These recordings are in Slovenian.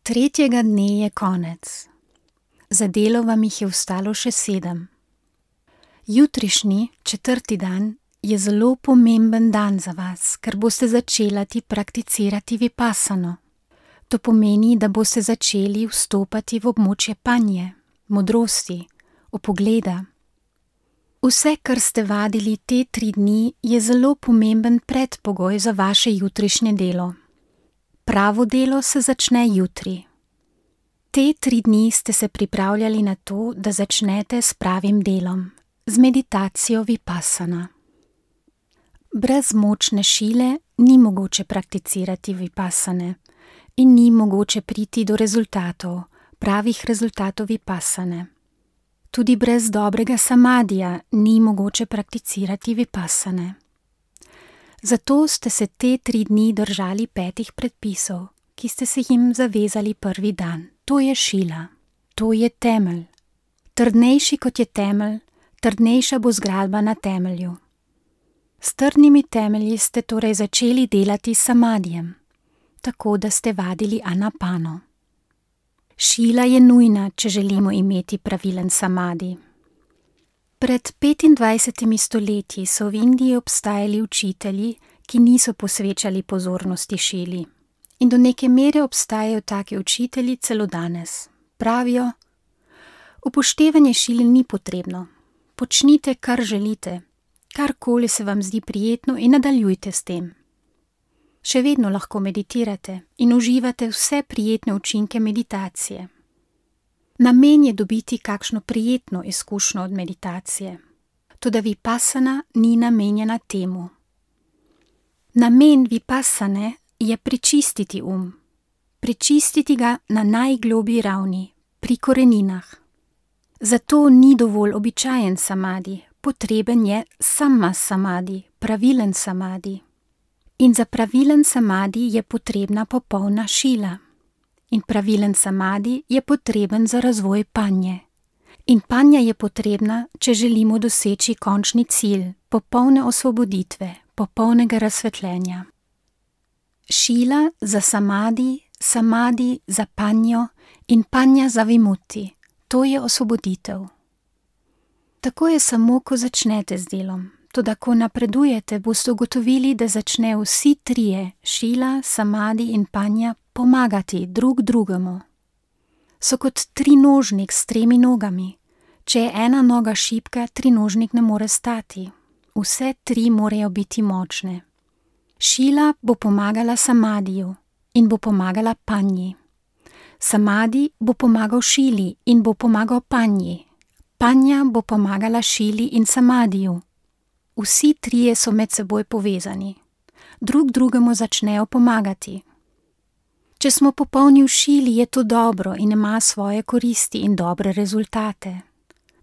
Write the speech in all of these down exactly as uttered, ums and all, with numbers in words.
Tretjega dne je konec. Za delo vam jih je ostalo še sedem. Jutrišnji, četrti dan, je zelo pomemben dan za vas, ker boste začelati prakticirati vipassano. To pomeni, da boste začeli vstopati v območje panje, modrosti, opogleda. Vse, kar ste vadili te tri dni, je zelo pomemben predpogoj za vaše jutrišnje delo. Pravo delo se začne jutri. Te tri dni ste se pripravljali na to, da začnete s pravim delom, z meditacijo vipassana. Brez močne šile ni mogoče prakticirati vipassane in ni mogoče priti do rezultatov, pravih rezultatov vipassane. Tudi brez dobrega samadija ni mogoče prakticirati vipassane. Zato ste se te tri dni držali petih predpisov, ki ste se jim zavezali prvi dan. To je šila, to je temelj. Trdnejši kot je temelj, trdnejša bo zgradba na temelju. S trdnimi temelji ste torej začeli delati s samadijem, tako da ste vadili anapano. Šila je nujna, če želimo imeti pravilen samadi. Pred petindvajsetimi stoletji so v Indiji obstajali učitelji, ki niso posvečali pozornosti šili. In do neke mere obstajajo taki učitelji celo danes. Pravijo: upoštevanje šile ni potrebno. Počnite, kar želite, karkoli se vam zdi prijetno in nadaljujte s tem. Še vedno lahko meditirate in uživate vse prijetne učinke meditacije. Namen je dobiti kakšno prijetno izkušnjo od meditacije. Toda vipassana ni namenjena temu. Namen vipassane je prečistiti um. Prečistiti ga na najgloblji ravni, pri koreninah. Zato ni dovolj običajen samadi, potreben je sama samadi, pravilen samadi. In za pravilen samadi je potrebna popolna šila. In pravilen samadi je potreben za razvoj panje. In panja je potrebna, če želimo doseči končni cilj, popolne osvoboditve, popolnega razsvetljenja. Šila za samadi, samadi za panjo in panja za vimutti. To je osvoboditev. Tako je samo, ko začnete z delom. Toda ko napredujete, boste ugotovili, da začnejo vsi trije, šila, samadi in panja, pomagati drug drugemu. So kot trinožnik s tremi nogami. Če je ena noga šibka, trinožnik ne more stati. Vse tri morajo biti močne. Šila bo pomagala samadiju in bo pomagala panji. Samadi bo pomagal šili in bo pomagal panji. Panja bo pomagala šili in samadiju. Vsi trije so med seboj povezani. Drug drugemu začnejo pomagati. Če smo popolni v šili, je to dobro in ima svoje koristi in dobre rezultate.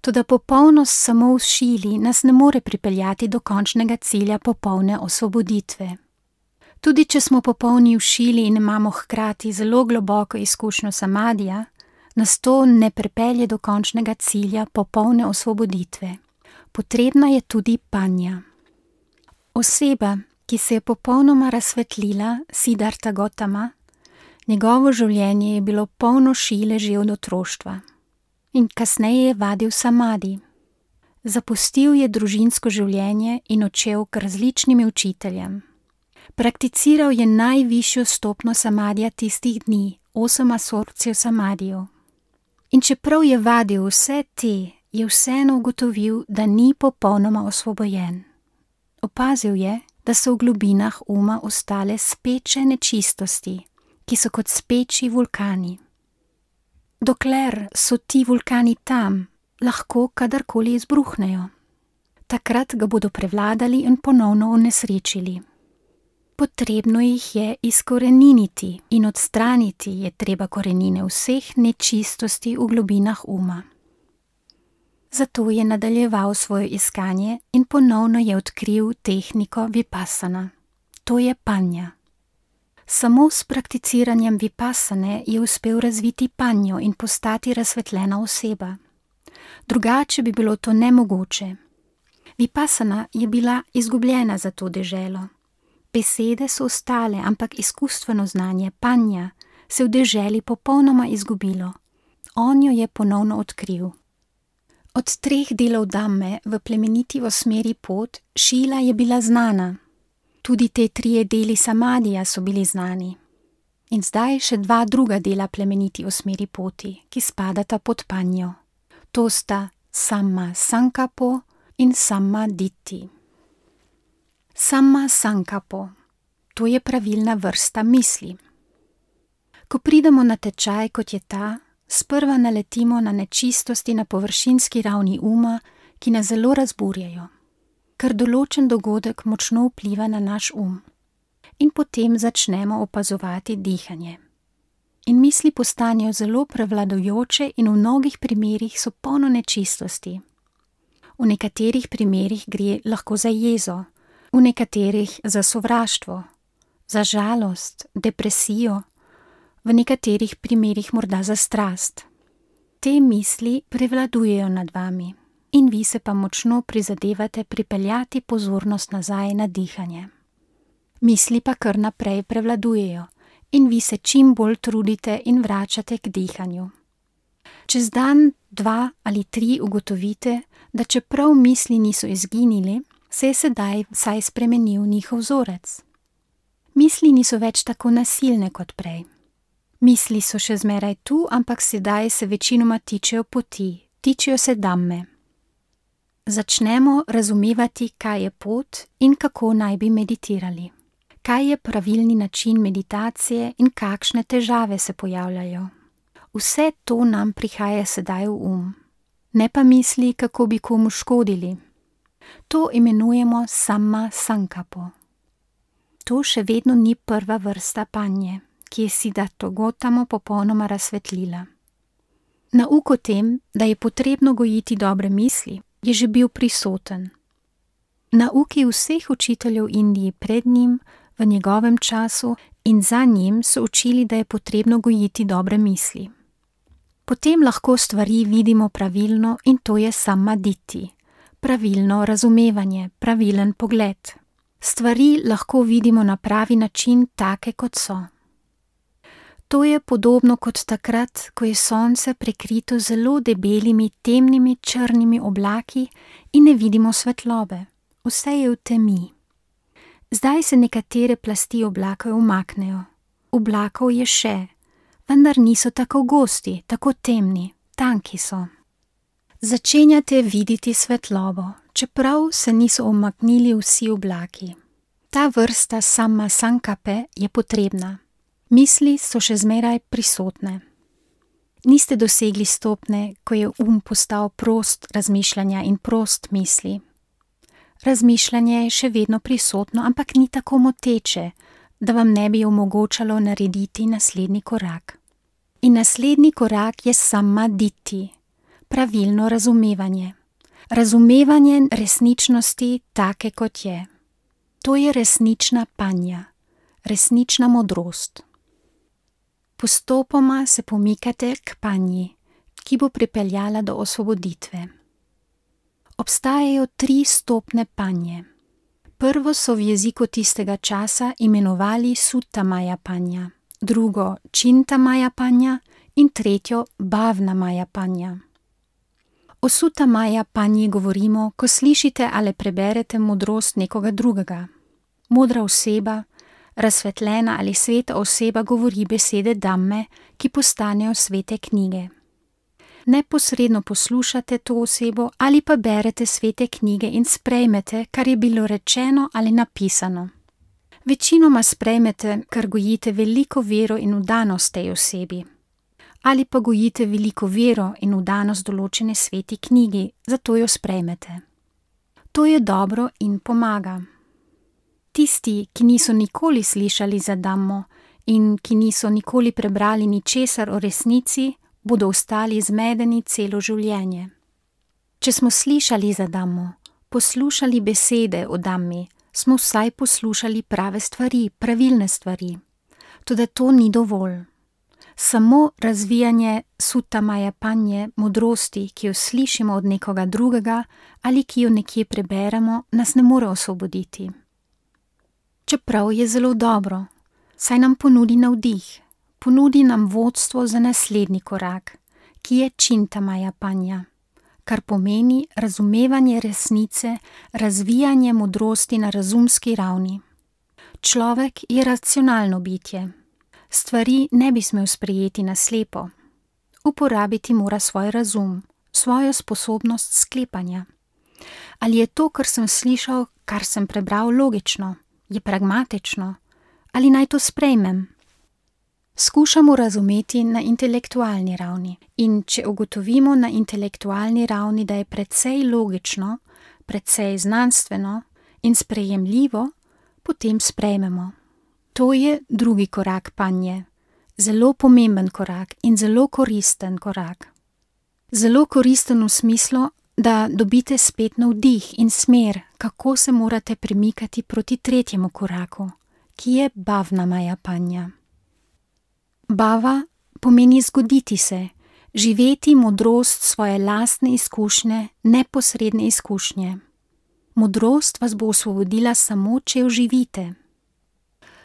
Toda popolnost samo v šili nas ne more pripeljati do končnega cilja popolne osvoboditve. Tudi če smo popolni v šili in imamo hkrati zelo globoko izkušnjo samadija, nas to ne pripelje do končnega cilja popolne osvoboditve. Potrebna je tudi panja. Oseba, ki se je popolnoma razsvetlila, Siddhartha Gautama, njegovo življenje je bilo polno šile že od otroštva. In kasneje je vadil samadi. Zapustil je družinsko življenje in odšel k različnim učiteljem. Prakticiral je najvišjo stopnjo samadija tistih dni, osem absorpcijo samadijev. In čeprav je vadil vse te, je vseeno ugotovil, da ni popolnoma osvobojen. Opazil je, da so v globinah uma ostale speče nečistosti, ki so kot speči vulkani. Dokler so ti vulkani tam, lahko kadarkoli izbruhnejo. Takrat ga bodo prevladali in ponovno onesrečili. Potrebno jih je izkoreniniti in odstraniti je treba korenine vseh nečistosti v globinah uma. Zato je nadaljeval svoje iskanje in ponovno je odkril tehniko vipassana. To je panja. Samo s prakticiranjem vipassane je uspel razviti panjo in postati razsvetljena oseba. Drugače bi bilo to nemogoče. Vipassana je bila izgubljena za to deželo. Besede so ostale, ampak izkustveno znanje, panja, se v deželi popolnoma izgubilo. On jo je ponovno odkril. Od treh delov Dhamme v plemeniti osmeri pot Šila je bila znana. Tudi te trije deli Samadija so bili znani. In zdaj še dva druga dela plemeniti osmeri poti, ki spadata pod panjo. To sta Samma Sankapo in Samma Ditti. Samma Sankapo, to je pravilna vrsta misli. Ko pridemo na tečaj, kot je ta, sprva naletimo na nečistosti na površinski ravni uma, ki nas zelo razburjajo, ker določen dogodek močno vpliva na naš um. In potem začnemo opazovati dihanje. In misli postanejo zelo prevladujoče in v mnogih primerih so polno nečistosti. V nekaterih primerih gre lahko za jezo, v nekaterih za sovraštvo, za žalost, depresijo, v nekaterih primerih morda za strast. Te misli prevladujejo nad vami in vi se pa močno prizadevate pripeljati pozornost nazaj na dihanje. Misli pa kar naprej prevladujejo in vi se čim bolj trudite in vračate k dihanju. Čez dan, dva ali tri ugotovite, da čeprav misli niso izginili, se je sedaj vsaj spremenil njihov vzorec. Misli niso več tako nasilne kot prej. Misli so še zmeraj tu, ampak sedaj se večinoma tičejo poti, tičejo se Dhamme. Začnemo razumevati, kaj je pot in kako naj bi meditirali. Kaj je pravilni način meditacije in kakšne težave se pojavljajo. Vse to nam prihaja sedaj v um, ne pa misli, kako bi komu škodili. To imenujemo Samma Sankapo. To še vedno ni prva vrsta panje, ki je Siddharto Gautamo popolnoma razsvetlila. Nauk o tem, da je potrebno gojiti dobre misli, je že bil prisoten. Nauki vseh učiteljev Indije pred njim, v njegovem času in za njim so učili, da je potrebno gojiti dobre misli. Potem lahko stvari vidimo pravilno in to je Samma Ditti, pravilno razumevanje, pravilen pogled. Stvari lahko vidimo na pravi način, take kot so. To je podobno kot takrat, ko je sonce prekrito zelo debelimi, temnimi, črnimi oblaki in ne vidimo svetlobe. Vse je v temi. Zdaj se nekatere plasti oblakov umaknejo. Oblakov je še, vendar niso tako gosti, tako temni, tanki so. Začenjate videti svetlobo, čeprav se niso umaknili vsi oblaki. Ta vrsta Samma Sankape je potrebna. Misli so še zmeraj prisotne. Niste dosegli stopne, ko je um postal prost razmišljanja in prost misli. Razmišljanje je še vedno prisotno, ampak ni tako moteče, da vam ne bi omogočalo narediti naslednji korak. In naslednji korak je Samma Ditti, pravilno razumevanje. Razumevanje resničnosti take, kot je. To je resnična panja, resnična modrost. Postopoma se pomikate k panji, ki bo pripeljala do osvoboditve. Obstajajo tri stopne panje. Prvo so v jeziku tistega časa imenovali Suttamaya panja, drugo Čintamaya panja in tretjo Bhavnamaya panja. O Suttamaya panji govorimo, ko slišite ali preberete modrost nekoga drugega. Modra oseba, razsvetljena ali sveta oseba govori besede Dhamme, ki postanejo svete knjige. Neposredno poslušate to osebo ali pa berete svete knjige in sprejmete, kar je bilo rečeno ali napisano. Večinoma sprejmete, ker gojite veliko vero in vdanost tej osebi. Ali pa gojite veliko vero in vdanost določene sveti knjigi, zato jo sprejmete. To je dobro in pomaga. Tisti, ki niso nikoli slišali za Dhammo in ki niso nikoli prebrali ničesar o resnici, bodo ostali zmedeni celo življenje. Če smo slišali za Dhammo, poslušali besede o Dhammi, smo vsaj poslušali prave stvari, pravilne stvari. Toda to ni dovolj. Samo razvijanje Suttamaya panje, modrosti, ki jo slišimo od nekoga drugega ali ki jo nekje preberemo, nas ne more osvoboditi. Čeprav je zelo dobro, saj nam ponudi navdih, ponudi nam vodstvo za naslednji korak, ki je Čintamaya Panja, kar pomeni razumevanje resnice, razvijanje modrosti na razumski ravni. Človek je racionalno bitje. Stvari ne bi smel sprejeti na slepo. Uporabiti mora svoj razum, svojo sposobnost sklepanja. Ali je to, kar sem slišal, kar sem prebral, logično, je pragmatično, ali naj to sprejmem? Skušamo razumeti na intelektualni ravni in če ugotovimo na intelektualni ravni, da je precej logično, precej znanstveno in sprejemljivo, potem sprejmemo. To je drugi korak panje, zelo pomemben korak in zelo koristen korak. Zelo koristen v smislu, da dobite spet navdih in smer, kako se morate premikati proti tretjemu koraku, ki je Bhavnamaya Panja. Bhava pomeni zgoditi se, živeti modrost svoje lastne izkušnje, neposredne izkušnje. Modrost vas bo osvobodila samo, če jo živite.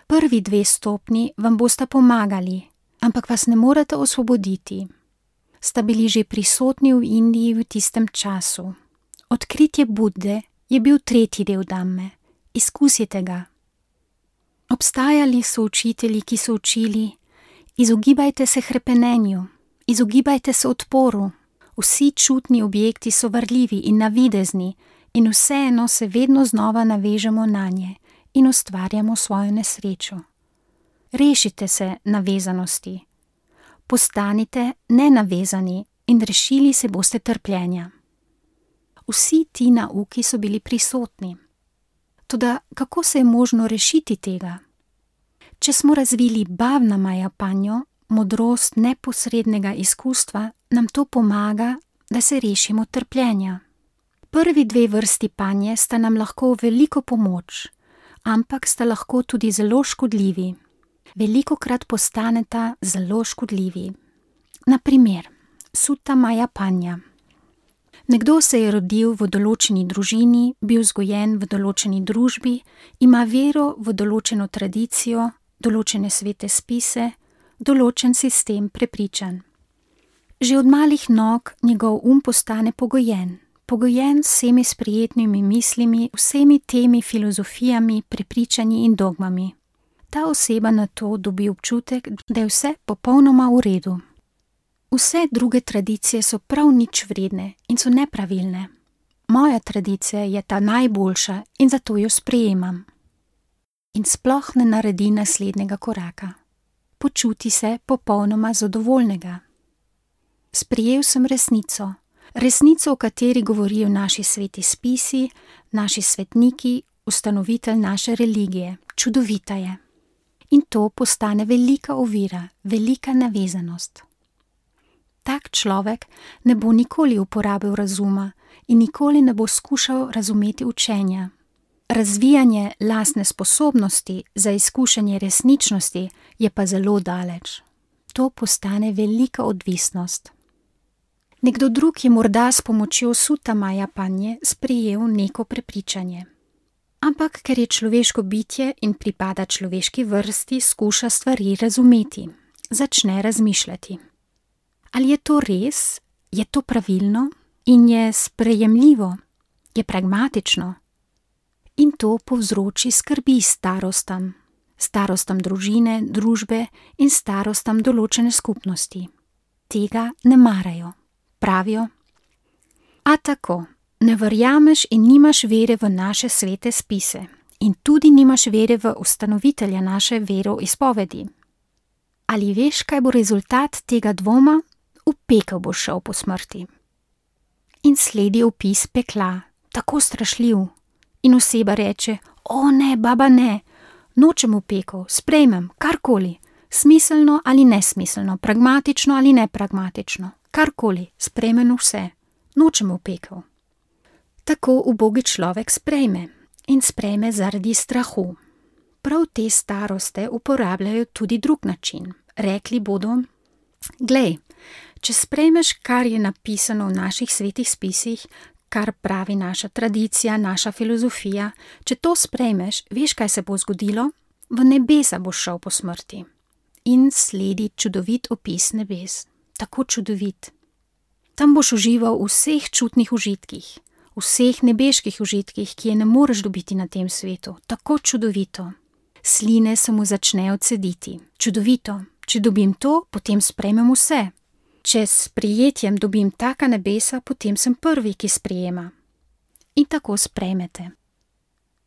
Prvi dve stopnji vam bosta pomagali, ampak vas ne morete osvoboditi. Sta bili že prisotni v Indiji v tistem času. Odkritje Budde je bil tretji del Dhamme. Izkusite ga. Obstajali so učitelji, ki so učili: izogibajte se hrepenenju, izogibajte se odporu. Vsi čutni objekti so varljivi in navidezni in vseeno se vedno znova navežemo nanje in ustvarjamo svojo nesrečo. Rešite se navezanosti. Postanite nenavezani in rešili se boste trpljenja. Vsi ti nauki so bili prisotni. Toda kako se je možno rešiti tega? Če smo razvili Bhavnamaya Panjo, modrost neposrednega izkustva, nam to pomaga, da se rešimo trpljenja. Prvi dve vrsti panje sta nam lahko veliko pomoč, ampak sta lahko tudi zelo škodljivi. Velikokrat postaneta zelo škodljivi. Na primer, Suttamaya Panja. Nekdo se je rodil v določeni družini, bil vzgojen v določeni družbi, ima vero v določeno tradicijo, določene svete spise, določen sistem prepričanj. Že od malih nog njegov um postane pogojen, pogojen s vsemi sprijetnimi mislimi, vsemi temi filozofijami, prepričanji in dogmami. Ta oseba nato dobi občutek, da je vse popolnoma v redu. Vse druge tradicije so prav nič vredne in so nepravilne. Moja tradicija je ta najboljša in zato jo sprejemam. In sploh ne naredi naslednjega koraka. Počuti se popolnoma zadovoljnega. Sprejel sem resnico, resnico, o kateri govorijo naši sveti spisi, naši svetniki, ustanovitelj naše religije. Čudovita je. In to postane velika ovira, velika navezanost. Tak človek ne bo nikoli uporabil razuma in nikoli ne bo skušal razumeti učenja. Razvijanje lastne sposobnosti za izkušanje resničnosti je pa zelo daleč. To postane velika odvisnost. Nekdo drug je morda s pomočjo Suttamaya Panje sprejel neko prepričanje. Ampak ker je človeško bitje in pripada človeški vrsti, skuša stvari razumeti, začne razmišljati. Ali je to res? Je to pravilno? In je sprejemljivo? Je pragmatično? In to povzroči skrbi starostam, starostam družine, družbe in starostam določene skupnosti. Tega ne marajo. Pravijo: a tako, ne verjameš in nimaš vere v naše svete spise in tudi nimaš vere v ustanovitelja naše veroizpovedi. Ali veš, kaj bo rezultat tega dvoma? V pekel boš šel po smrti. In sledi opis pekla, tako strašljiv. In oseba reče: o ne, baba ne, nočem v pekel, sprejmem, karkoli, smiselno ali nesmiselno, pragmatično ali nepragmatično, karkoli, sprejmem vse, nočem v pekel. Tako ubogi človek sprejme in sprejme zaradi strahu. Prav te staroste uporabljajo tudi drug način. Rekli bodo: glej, če sprejmeš, kar je napisano v naših svetih spisih, kar pravi naša tradicija, naša filozofija, če to sprejmeš, veš, kaj se bo zgodilo? V nebesa boš šel po smrti. in sledi čudovit opis nebes. Tako čudovit. Tam boš užival v vseh čutnih užitkih, vseh nebeških užitkih, ki je ne moreš dobiti na tem svetu. Tako čudovito. Sline se mu začnejo cediti. Čudovito. Če dobim to, potem sprejmem vse. Če s sprejetjem dobim taka nebesa, potem sem prvi, ki sprejema. In tako sprejmete.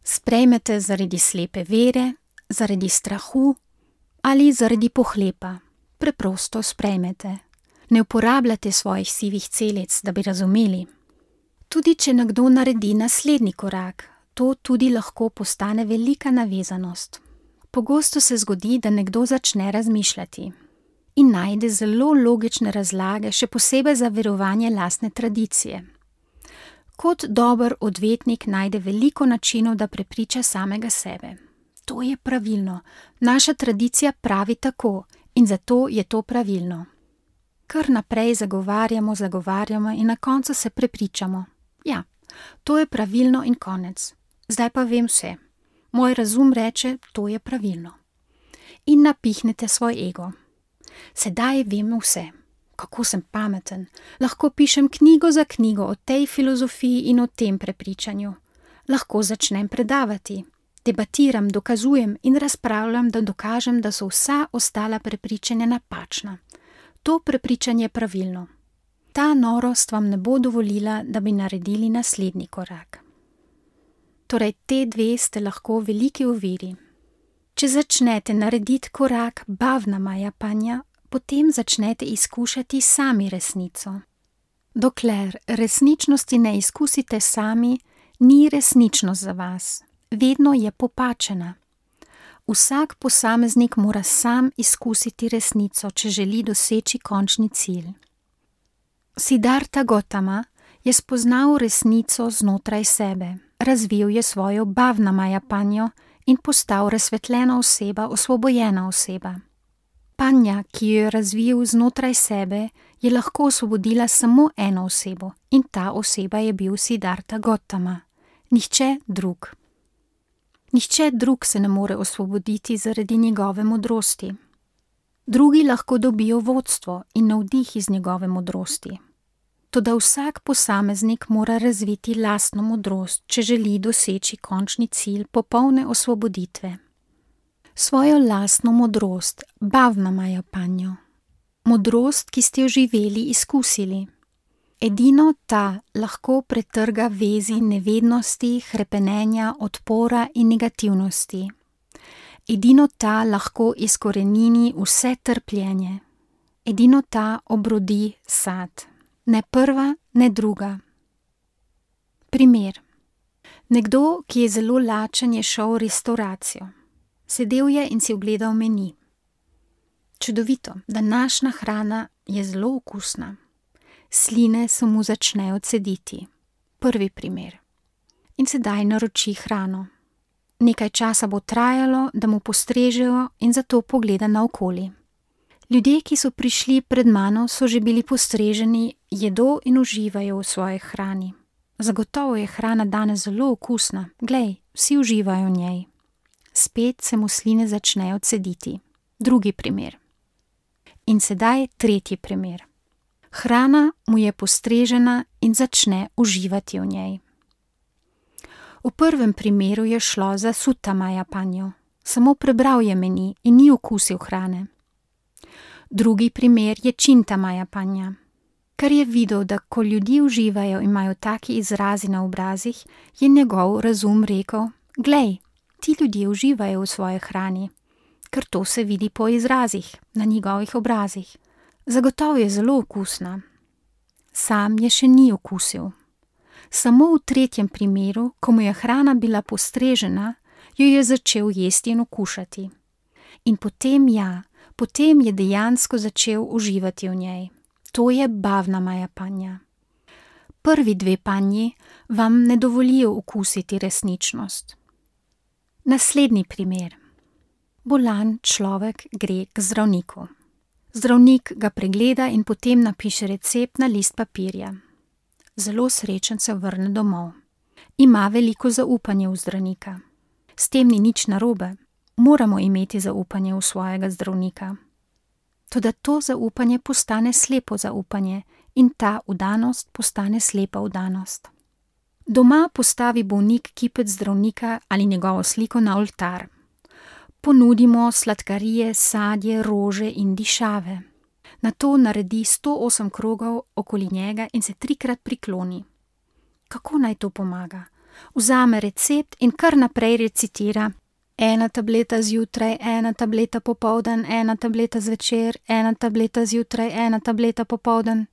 Sprejmete zaradi slepe vere, zaradi strahu ali zaradi pohlepa. Preprosto sprejmete. Ne uporabljate svojih sivih celic, da bi razumeli. Tudi če nekdo naredi naslednji korak, to tudi lahko postane velika navezanost. Pogosto se zgodi, da nekdo začne razmišljati in najde zelo logične razlage, še posebej za verovanje lastne tradicije. Kot dober odvetnik najde veliko načinov, da prepriča samega sebe. To je pravilno. Naša tradicija pravi tako in zato je to pravilno. Kar naprej zagovarjamo, zagovarjamo in na koncu se prepričamo. Ja, to je pravilno in konec. Zdaj pa vem vse. Moj razum reče, to je pravilno. In napihnete svoj ego. Sedaj vem vse. Kako sem pameten. Lahko pišem knjigo za knjigo o tej filozofiji in o tem prepričanju. Lahko začnem predavati. Debatiram, dokazujem in razpravljam, da dokažem, da so vsa ostala prepričanja napačna. To prepričanje je pravilno. Ta norost vam ne bo dovolila, da bi naredili naslednji korak. Torej, te dve ste lahko veliki oviri. Če začnete narediti korak bhavnamaya panja, potem začnete izkušati sami resnico. Dokler resničnosti ne izkusite sami, ni resničnost za vas. Vedno je popačena. Vsak posameznik mora sam izkusiti resnico, če želi doseči končni cilj. Siddhartha Gautama je spoznal resnico znotraj sebe, razvil je svojo bhavnamaya panjo in postal razsvetljena oseba, osvobojena oseba. Panja, ki jo je razvil znotraj sebe, je lahko osvobodila samo eno osebo in ta oseba je bil Siddhartha Gautama, nihče drug. Nihče drug se ne more osvoboditi zaradi njegove modrosti. Drugi lahko dobijo vodstvo in navdih iz njegove modrosti. Toda vsak posameznik mora razviti lastno modrost, če želi doseči končni cilj popolne osvoboditve. Svojo lastno modrost, bhavnamaya panjo. Modrost, ki ste jo živeli, izkusili. Edino ta lahko pretrga vezi nevednosti, hrepenenja, odpora in negativnosti. Edino ta lahko izkorenini vse trpljenje. Edino ta obrodi sad. Ne prva, ne druga. Primer. Nekdo, ki je zelo lačen, je šel v restavracijo. Sedel je in si ogledal meni. Čudovito, današnja hrana je zelo okusna. Sline se mu začnejo cediti. Prvi primer. In sedaj naroči hrano. Nekaj časa bo trajalo, da mu postrežejo in zato pogleda naokoli. Ljudje, ki so prišli pred mano, so že bili postreženi, jedo in uživajo v svoji hrani. Zagotovo je hrana danes zelo okusna. Glej, vsi uživajo v njej. Spet se mu sline začnejo cediti. Drugi primer. In sedaj tretji primer. Hrana mu je postrežena in začne uživati v njej. V prvem primeru je šlo za suttamaya panjo. Samo prebral je meni in ni okusil hrane. Drugi primer je čintamaya panja. Ker je videl, da ko ljudje uživajo in imajo taki izrazi na obrazih, je njegov razum rekel, glej, ti ljudje uživajo v svoji hrani, ker to se vidi po izrazih, na njegovih obrazih. Zagotovo je zelo okusna. Sam je še ni okusil. Samo v tretjem primeru, ko mu je hrana bila postrežena, jo je začel jesti in okušati. In potem ja, potem je dejansko začel uživati v njej. To je bhavnamaya panja. Prvi dve panji vam ne dovolijo okusiti resničnost. Naslednji primer. Bolan človek gre k zdravniku. Zdravnik ga pregleda in potem napiše recept na list papirja. Zelo srečen se vrne domov. Ima veliko zaupanje v zdravnika. S tem ni nič narobe. Moramo imeti zaupanje v svojega zdravnika. Toda to zaupanje postane slepo zaupanje in ta vdanost postane slepa vdanost. Doma postavi bolnik kipec zdravnika ali njegovo sliko na oltar. Ponudimo sladkarije, sadje, rože in dišave. Nato naredi sto osem krogov okoli njega in se trikrat prikloni. Kako naj to pomaga? Vzame recept in kar naprej recitira: ena tableta zjutraj, ena tableta popoldan, ena tableta zvečer, ena tableta zjutraj, ena tableta popoldan.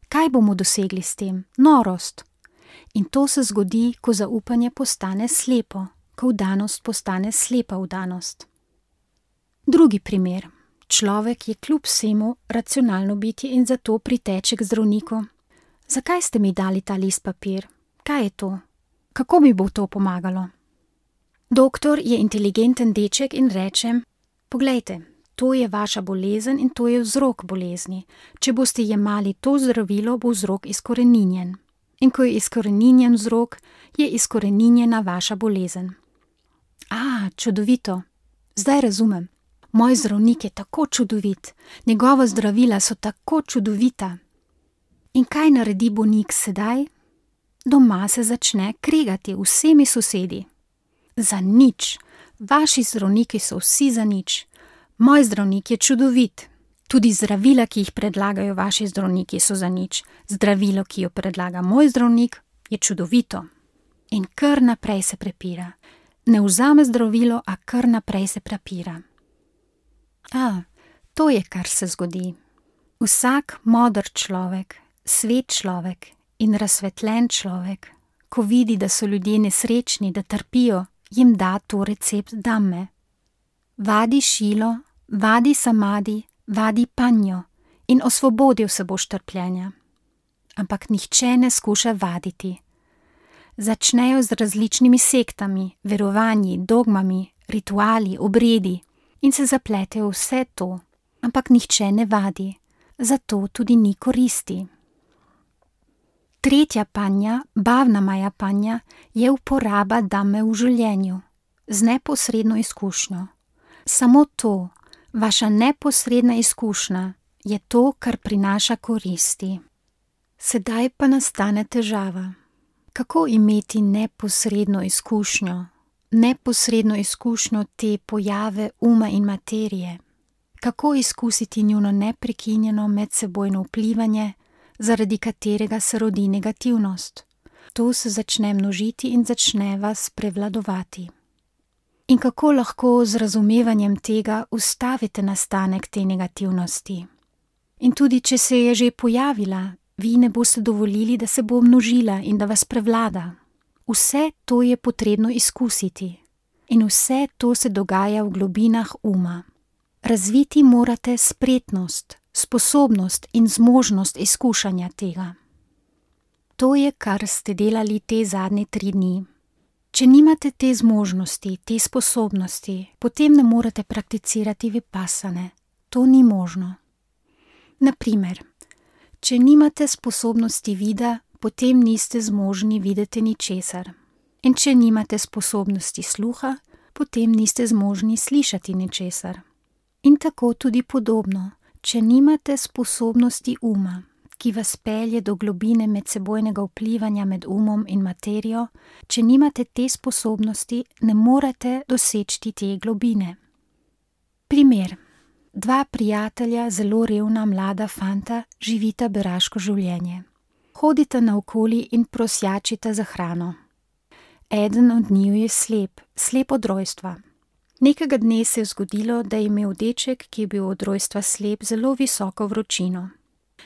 Kaj bomo dosegli s tem? Norost. In to se zgodi, ko zaupanje postane slepo, ko vdanost postane slepa vdanost. Drugi primer. Človek je kljub vsemu racionalno bitje in zato priteče k zdravniku. Zakaj ste mi dali ta list papir? Kaj je to? Kako mi bo to pomagalo? Doktor je inteligenten deček in reče: poglejte, to je vaša bolezen in to je vzrok bolezni. Če boste jemali to zdravilo, bo vzrok izkoreninjen. In ko je izkoreninjen vzrok, je izkoreninjena vaša bolezen. A, čudovito. Zdaj razumem. Moj zdravnik je tako čudovit, njegova zdravila so tako čudovita. In kaj naredi bolnik sedaj? Doma se začne kregati vsemi sosedi. Za nič. Vaši zdravniki so vsi za nič. Moj zdravnik je čudovit. Tudi zdravila, ki jih predlagajo vaši zdravniki, so za nič. Zdravilo, ki jo predlaga moj zdravnik, je čudovito. In kar naprej se prepira. Ne vzame zdravilo, a kar naprej se prepira. A, to je, kar se zgodi. Vsak moder človek, svet človek in razsvetljen človek, ko vidi, da so ljudje nesrečni, da trpijo, jim da to recept Dhamme. Vadi šilo, vadi samadi, vadi panjo in osvobodil se boš trpljenja. Ampak nihče ne skuša vaditi. Začnejo z različnimi sektami, verovanji, dogmami, rituali, obredi in se zapletejo vse to, ampak nihče ne vadi, zato tudi ni koristi. Tretja panja, bhavna maya panja, je uporaba Dhamme v življenju, z neposredno izkušnjo. Samo to, vaša neposredna izkušnja, je to, kar prinaša koristi. Sedaj pa nastane težava. Kako imeti neposredno izkušnjo, neposredno izkušnjo te pojave uma in materije? Kako izkusiti njuno neprekinjeno medsebojno vplivanje, zaradi katerega se rodi negativnost? To se začne množiti in začne vas prevladovati. In kako lahko z razumevanjem tega ustavite nastanek te negativnosti? In tudi, če se je že pojavila, vi ne boste dovolili, da se bo množila in da vas prevlada. Vse to je potrebno izkusiti. In vse to se dogaja v globinah uma. Razviti morate spretnost, sposobnost in zmožnost izkušanja tega. To je, kar ste delali te zadnje tri dni. Če nimate te zmožnosti, te sposobnosti, potem ne morete prakticirati vipassane. To ni možno. Naprimer, če nimate sposobnosti vida, potem niste zmožni videti ničesar. In če nimate sposobnosti sluha, potem niste zmožni slišati ničesar. In tako tudi podobno, če nimate sposobnosti uma, ki vas pelje do globine medsebojnega vplivanja med umom in materijo, če nimate te sposobnosti, ne morete doseči te globine. Primer. Dva prijatelja, zelo revna mlada fanta, živita beraško življenje. Hodita naokoli in prosjačita za hrano. Eden od njiju je slep, slep od rojstva. Nekega dne se je zgodilo, da je imel deček, ki je bil od rojstva slep, zelo visoko vročino.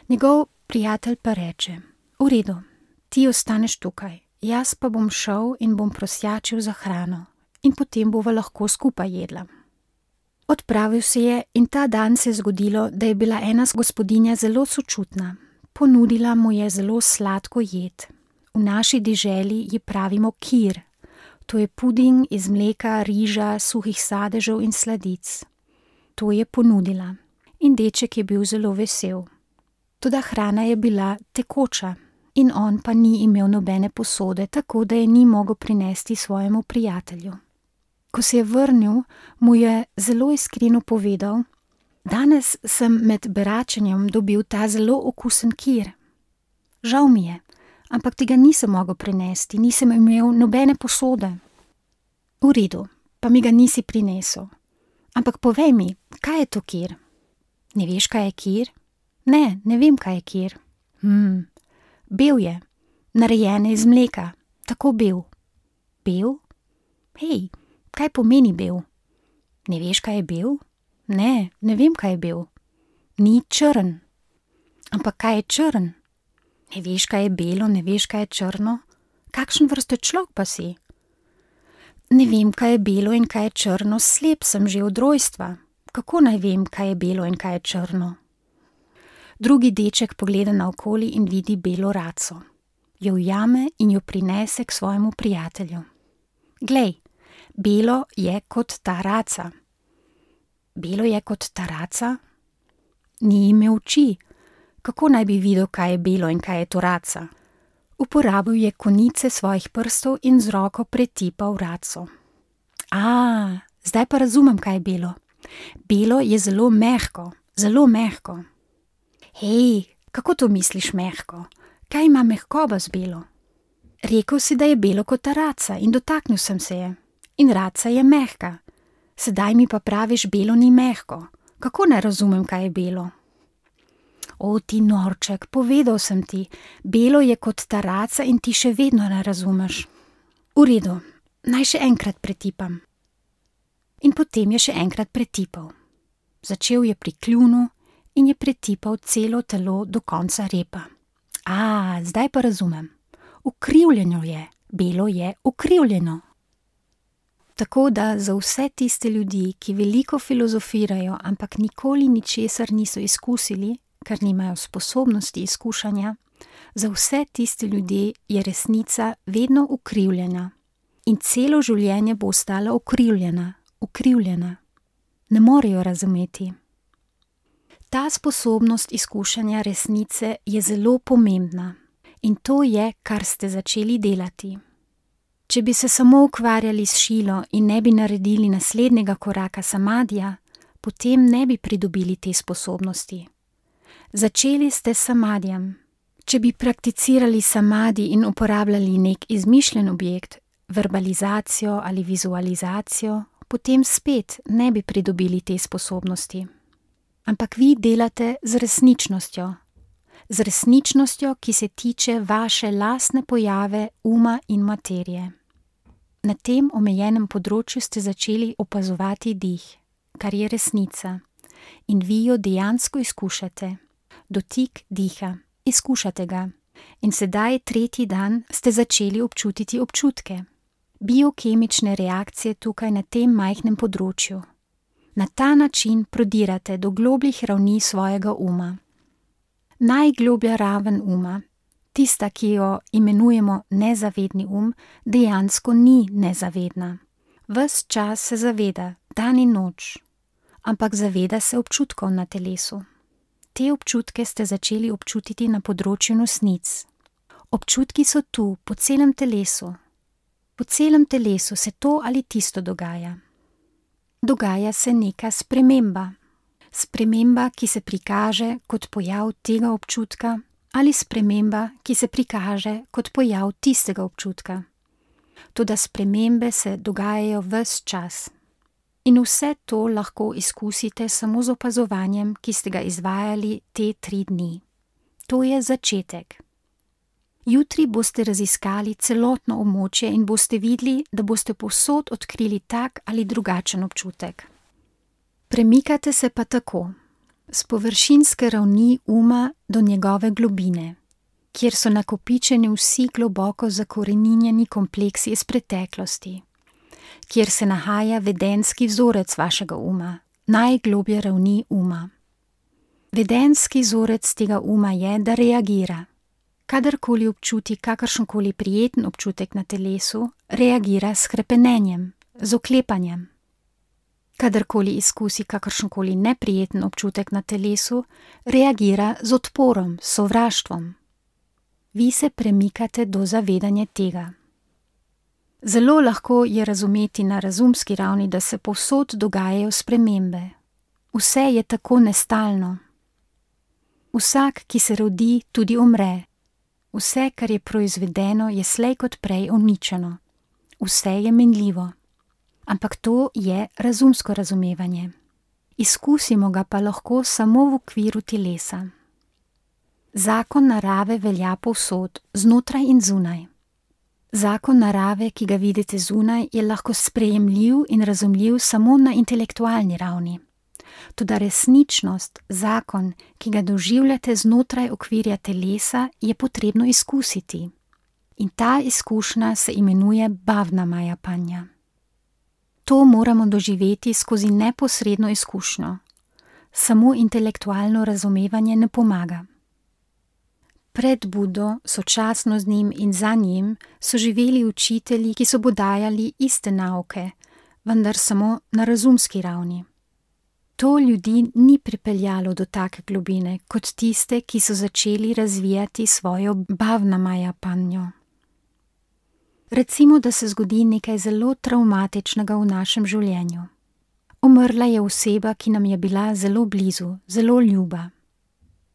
Njegov prijatelj pa reče: v redu, ti ostaneš tukaj, jaz pa bom šel in bom prosjačil za hrano in potem bova lahko skupaj jedla. Odpravil se je in ta dan se je zgodilo, da je bila ena gospodinja zelo sočutna. Ponudila mu je zelo sladko jed. V naši deželi ji pravimo kir. To je puding iz mleka, riža, suhih sadežev in sladic. To je ponudila. In deček je bil zelo vesel. Toda hrana je bila tekoča in on pa ni imel nobene posode, tako da je ni mogel prinesti svojemu prijatelju. Ko se je vrnil, mu je zelo iskreno povedal: Danes sem med beračenjem dobil ta zelo okusen kir. Žal mi je, ampak tega nisem mogel prinesti, nisem imel nobene posode. V redu, pa mi ga nisi prinesel. Ampak povej mi, kaj je to kir? Ne veš, kaj je kir? Ne, ne vem, kaj je kir. Hmm, bel je, narejen iz mleka, tako bel. Bel? Hej, kaj pomeni bel? Ne veš, kaj je bel? Ne, ne vem, kaj je bel. Ni črn. Ampak kaj je črn? Ne veš, kaj je belo, ne veš, kaj je črno? Kakšen vrste človek pa si? Ne vem, kaj je belo in kaj je črno, slep sem že od rojstva. Kako naj vem, kaj je belo in kaj je črno? Drugi deček pogleda naokoli in vidi belo raco. Jo ujame in jo prinese k svojemu prijatelju. Glej, belo je kot ta raca. Belo je kot ta raca? Ni imel oči. Kako naj bi videl, kaj je belo in kaj je to raca? Uporabil je konice svojih prstov in z roko pretipal raco. A, zdaj pa razumem, kaj je belo. Belo je zelo mehko, zelo mehko. Hej, kako to misliš mehko? Kaj ima mehkoba z belo? Rekel si, da je belo kot ta raca in dotaknil sem se je. In raca je mehka. Sedaj mi pa praviš, belo ni mehko. Kako ne razumem, kaj je belo? O, ti norček, povedal sem ti, belo je kot ta raca in ti še vedno ne razumeš. V redu, naj še enkrat pretipam. In potem je še enkrat pretipal. Začel je pri kljunu in je pretipal celo telo do konca repa. A, zdaj pa razumem. Ukrivljeno je, belo je ukrivljeno. Tako da za vse tiste ljudi, ki veliko filozofirajo, ampak nikoli ničesar niso izkusili, ker nimajo sposobnosti izkušanja, za vse tiste ljudi je resnica vedno ukrivljena in celo življenje bo ostala ukrivljena, ukrivljena. Ne morejo razumeti. Ta sposobnost izkušanja resnice je zelo pomembna in to je, kar ste začeli delati. Če bi se samo ukvarjali s šilo in ne bi naredili naslednjega koraka samadija, potem ne bi pridobili te sposobnosti. Začeli ste s samadijem. Če bi prakticirali samadi in uporabljali nek izmišljen objekt, verbalizacijo ali vizualizacijo, potem spet ne bi pridobili te sposobnosti. Ampak vi delate z resničnostjo. Z resničnostjo, ki se tiče vaše lastne pojave uma in materije. Na tem omejenem področju ste začeli opazovati dih, kar je resnica, in vi jo dejansko izkušate. Dotik diha, izkušate ga. In sedaj tretji dan ste začeli občutiti občutke. Biokemične reakcije tukaj na tem majhnem področju. Na ta način prodirate do globljih ravni svojega uma. Najgloblja raven uma, tista, ki jo imenujemo nezavedni um, dejansko ni nezavedna. Ves čas se zaveda, dan in noč, ampak zaveda se občutkov na telesu. Te občutke ste začeli občutiti na področju nosnic. Občutki so tu, po celem telesu. Po celem telesu se to ali tisto dogaja. Dogaja se neka sprememba. Sprememba, ki se prikaže kot pojav tega občutka, ali sprememba, ki se prikaže kot pojav tistega občutka. Toda spremembe se dogajajo ves čas. In vse to lahko izkusite samo z opazovanjem, ki ste ga izvajali te tri dni. To je začetek. Jutri boste raziskali celotno območje in boste videli, da boste povsod odkrili tak ali drugačen občutek. Premikate se pa tako, s površinske ravni uma do njegove globine, kjer so nakopičeni vsi globoko zakoreninjeni kompleksi iz preteklosti, kjer se nahaja vedenski vzorec vašega uma, najgloblje ravni uma. Vedenski vzorec tega uma je, da reagira. Kadarkoli občuti kakršenkoli prijeten občutek na telesu, reagira s hrepenenjem, z oklepanjem. Kadarkoli izkusi kakršenkoli neprijeten občutek na telesu, reagira z odporom, s sovraštvom. Vi se premikate do zavedanja tega. Zelo lahko je razumeti na razumski ravni, da se povsod dogajajo spremembe. Vse je tako nestalno. Vsak, ki se rodi, tudi umre. Vse, kar je proizvedeno, je slej kot prej uničeno. Vse je minljivo. Ampak to je razumsko razumevanje. Izkusimo ga pa lahko samo v okviru telesa. Zakon narave velja povsod, znotraj in zunaj. Zakon narave, ki ga vidite zunaj, je lahko sprejemljiv in razumljiv samo na intelektualni ravni. Toda resničnost, zakon, ki ga doživljate znotraj okvirja telesa, je potrebno izkusiti. In ta izkušnja se imenuje bhavna maya panja. To moramo doživeti skozi neposredno izkušnjo. Samo intelektualno razumevanje ne pomaga. Pred Budo, sočasno z njim in za njim, so živeli učitelji, ki so podajali iste nauke, vendar samo na razumski ravni. To ljudi ni pripeljalo do take globine, kot tiste, ki so začeli razvijati svojo bhavna maya panjo. Recimo, da se zgodi nekaj zelo travmatičnega v našem življenju. Umrla je oseba, ki nam je bila zelo blizu, zelo ljuba.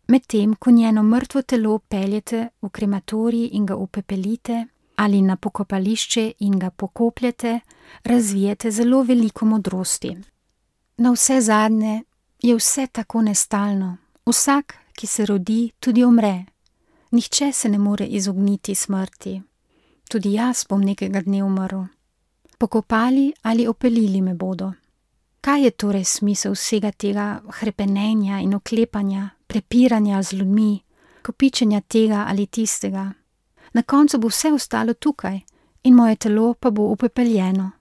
Medtem, ko njeno mrtvo telo peljete v krematorij in ga upepelite ali na pokopališče in ga pokopljete, razvijete zelo veliko modrosti. Na vse zadnje je vse tako nestalno. Vsak, ki se rodi, tudi umre. Nihče se ne more izogniti smrti. Tudi jaz bom nekega dne umrl. Pokopali ali opelili me bodo. Kaj je torej smisel vsega tega hrepenenja in oklepanja, prepiranja z ljudmi, kopičenja tega ali tistega? Na koncu bo vse ostalo tukaj in moje telo pa bo upepeljeno.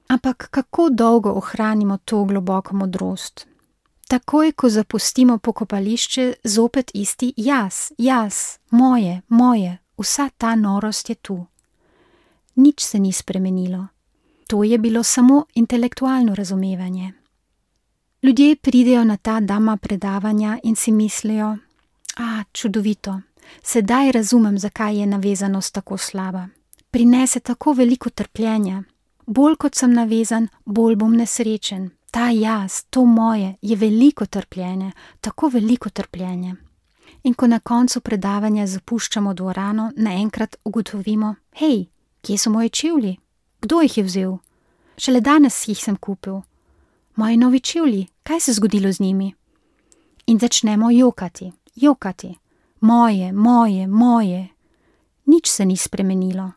Ampak kako dolgo ohranimo to globoko modrost? Takoj, ko zapustimo pokopališče, zopet isti jaz, jaz, moje, moje, vsa ta norost je tu. Nič se ni spremenilo. To je bilo samo intelektualno razumevanje. Ljudje pridejo na ta dhamma predavanja in si mislijo, a, čudovito, sedaj razumem, zakaj je navezanost tako slaba. Prinese tako veliko trpljenja. Bolj kot sem navezan, bolj bom nesrečen. Ta jaz, to moje, je veliko trpljenje, tako veliko trpljenje. In ko na koncu predavanja zapuščamo dvorano, naenkrat ugotovimo, hej, kje so moji čevlji? Kdo jih je vzel? Šele danes jih sem kupil. Moji novi čevlji, kaj se je zgodilo z njimi? In začnemo jokati, jokati. Moje, moje, moje. Nič se ni spremenilo.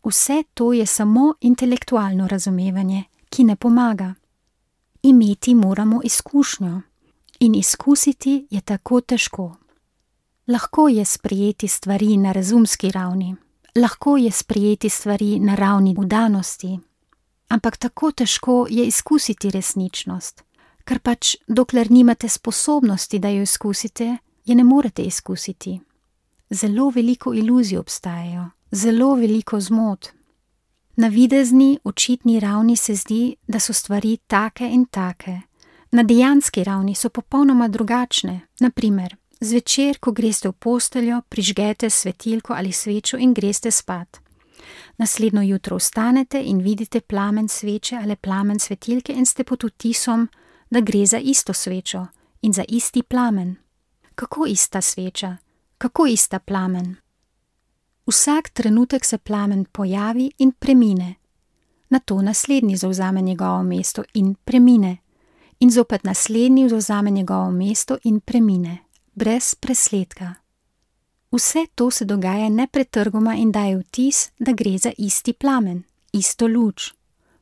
Vse to je samo intelektualno razumevanje, ki ne pomaga. Imeti moramo izkušnjo. In izkusiti je tako težko. Lahko je sprejeti stvari na razumski ravni. Lahko je sprejeti stvari na ravni vdanosti. Ampak tako težko je izkusiti resničnost. Ker pač, dokler nimate sposobnosti, da jo izkusite, je ne morete izkusiti. Zelo veliko iluzij obstajajo. Zelo veliko zmot. Na videzni, očitni ravni se zdi, da so stvari take in take. Na dejanski ravni so popolnoma drugačne. Naprimer, zvečer, ko greste v posteljo, prižgete svetilko ali svečo in greste spat. Naslednjo jutro vstanete in vidite plamen sveče ali plamen svetilke in ste pod vtisom, da gre za isto svečo in za isti plamen. Kako ista sveča? Kako ista plamen? Vsak trenutek se plamen pojavi in premine. Nato naslednji zavzame njegovo mesto in premine. In zopet naslednji zavzame njegovo mesto in premine. Brez presledka. Vse to se dogaja nepretrgoma in daje vtis, da gre za isti plamen, isto luč.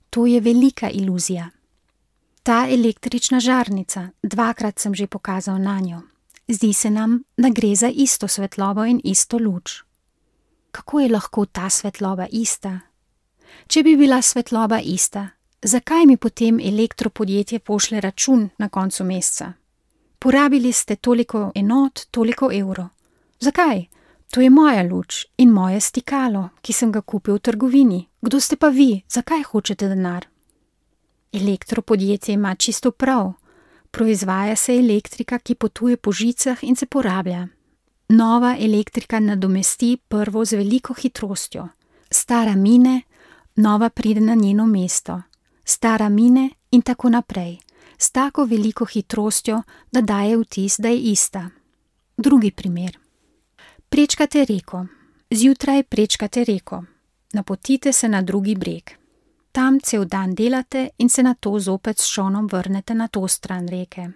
To je velika iluzija. Ta električna žarnica, dvakrat sem že pokazal nanjo. Zdi se nam, da gre za isto svetlobo in isto luč. Kako je lahko ta svetloba ista? Če bi bila svetloba ista, zakaj mi potem elektropodjetje pošlje račun na koncu meseca? Porabili ste toliko enot, toliko evrov. Zakaj? To je moja luč in moje stikalo, ki sem ga kupil v trgovini. Kdo ste pa vi? Zakaj hočete denar? Elektropodjetje ima čisto prav. Proizvaja se elektrika, ki potuje po žicah in se porablja. Nova elektrika nadomesti prvo z veliko hitrostjo. Stara mine, nova pride na njeno mesto. Stara mine in tako naprej. s tako veliko hitrostjo, da daje vtis, da je ista. Drugi primer. Prečkate reko. Zjutraj prečkate reko. Napotite se na drugi breg. Tam cel dan delate in se nato zopet s čolnom vrnete na to stran reke.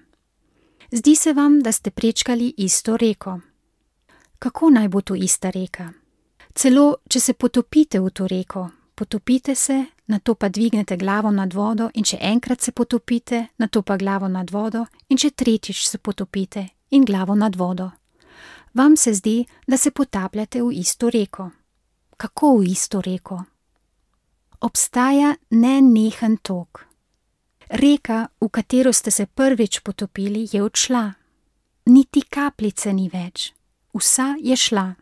Zdi se vam, da ste prečkali isto reko. Kako naj bo to ista reka? Celo, če se potopite v to reko, potopite se, nato pa dvignete glavo nad vodo in če enkrat se potopite, nato pa glavo nad vodo in če tretjič se potopite in glavo nad vodo. Vam se zdi, da se potapljate v isto reko. Kako v isto reko? Obstaja nenehen tok. Reka, v katero ste se prvič potopili, je odšla. Niti kapljice ni več. Vsa je šla.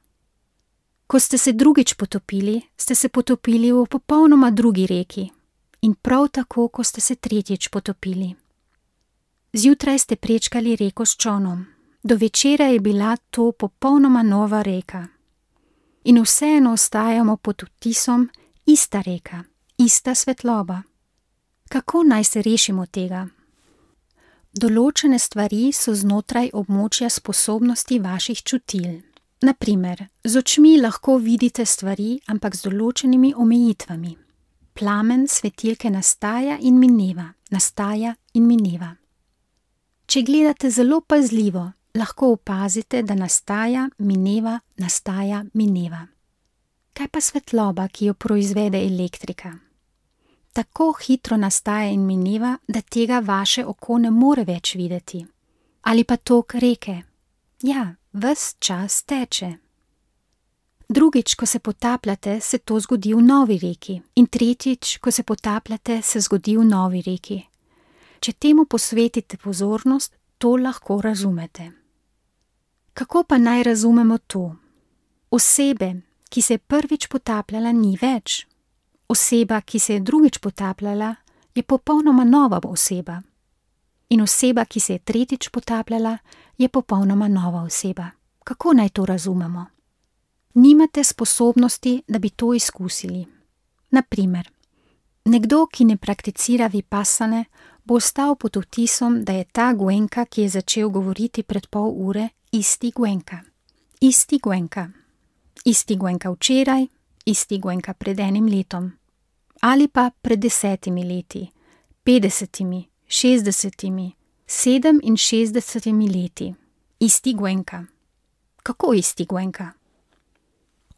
Ko ste se drugič potopili, ste se potopili v popolnoma drugi reki. In prav tako, ko ste se tretjič potopili. Zjutraj ste prečkali reko s čolnom. Do večera je bila to popolnoma nova reka. In vseeno ostajamo pod vtisom ista reka, ista svetloba. Kako naj se rešimo tega? Določene stvari so znotraj območja sposobnosti vaših čutil. Na primer, z očmi lahko vidite stvari, ampak z določenimi omejitvami. Plamen svetilke nastaja in mineva, nastaja in mineva. Če gledate zelo pazljivo, lahko opazite, da nastaja, mineva, nastaja, mineva. Kaj pa svetloba, ki jo proizvede elektrika? Tako hitro nastaja in mineva, da tega vaše oko ne more več videti. Ali pa tok reke. Ja, ves čas teče. Drugič, ko se potapljate, se to zgodi v novi reki. In tretjič, ko se potapljate, se zgodi v novi reki. Če temu posvetite pozornost, to lahko razumete. Kako pa naj razumemo to? Osebe, ki se je prvič potapljala, ni več. Oseba, ki se je drugič potapljala, je popolnoma nova oseba. In oseba, ki se je tretjič potapljala, je popolnoma nova oseba. Kako naj to razumemo? Nimate sposobnosti, da bi to izkusili. Na primer, nekdo, ki ne prakticira vipassane, bo ostal pod vtisom, da je ta Goenka, ki je začel govoriti pred pol ure, isti Goenka. Isti Goenka. Isti Goenka včeraj, isti Goenka pred enim letom. Ali pa pred desetimi leti, petdesetimi, šestdesetimi, sedeminšestdesetimi leti. Isti Goenka. Kako isti Goenka?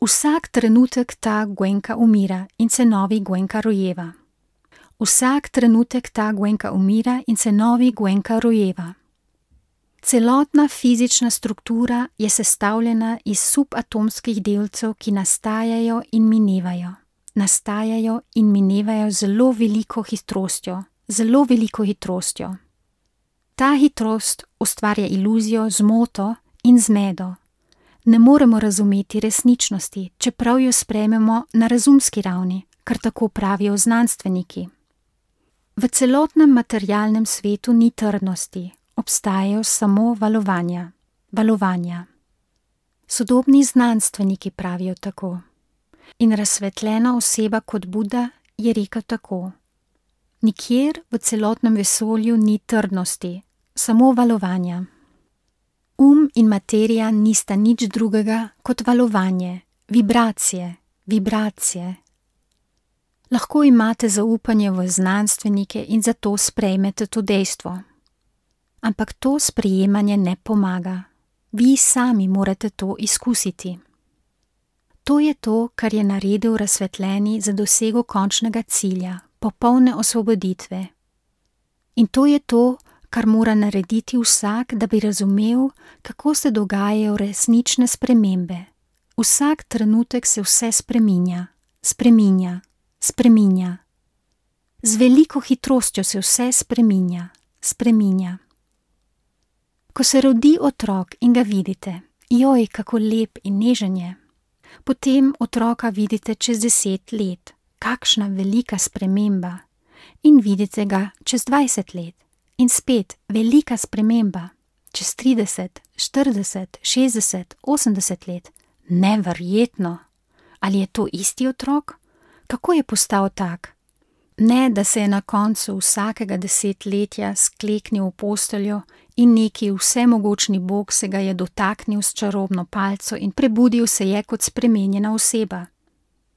Vsak trenutek ta Goenka umira in se novi Goenka rojeva. Vsak trenutek ta Goenka umira in se novi Goenka rojeva. Celotna fizična struktura je sestavljena iz subatomskih delcev, ki nastajajo in minevajo. Nastajajo in minevajo zelo veliko hitrostjo, zelo veliko hitrostjo. Ta hitrost ustvarja iluzijo, zmoto in zmedo. Ne moremo razumeti resničnosti, čeprav jo sprejmemo na razumski ravni, kar tako pravijo znanstveniki. V celotnem materialnem svetu ni trdnosti, obstajajo samo valovanja. Valovanja. Sodobni znanstveniki pravijo tako. In razsvetljena oseba kot Buda je rekel tako. Nikjer v celotnem vesolju ni trdnosti, samo valovanja. Um in materija nista nič drugega kot valovanje, vibracije, vibracije. Lahko imate zaupanje v znanstvenike in zato sprejmete to dejstvo. Ampak to sprejemanje ne pomaga. Vi sami morate to izkusiti. To je to, kar je naredil razsvetljeni za dosego končnega cilja, popolne osvoboditve. In to je to, kar mora narediti vsak, da bi razumel, kako se dogajajo resnične spremembe. Vsak trenutek se vse spreminja, spreminja, spreminja. Z veliko hitrostjo se vse spreminja, spreminja. Ko se rodi otrok in ga vidite, joj, kako lep in nežen je. Potem otroka vidite čez deset let, kakšna velika sprememba. In vidite ga čez dvajset let. In spet velika sprememba. Čez trideset, štirideset, šestdeset, osemdeset let. Neverjetno. Ali je to isti otrok? Kako je postal tak? Ne, da se je na koncu vsakega desetletja skleknil v posteljo in neki vsemogočni Bog se ga je dotaknil s čarobno palico in prebudil se je kot spremenjena oseba.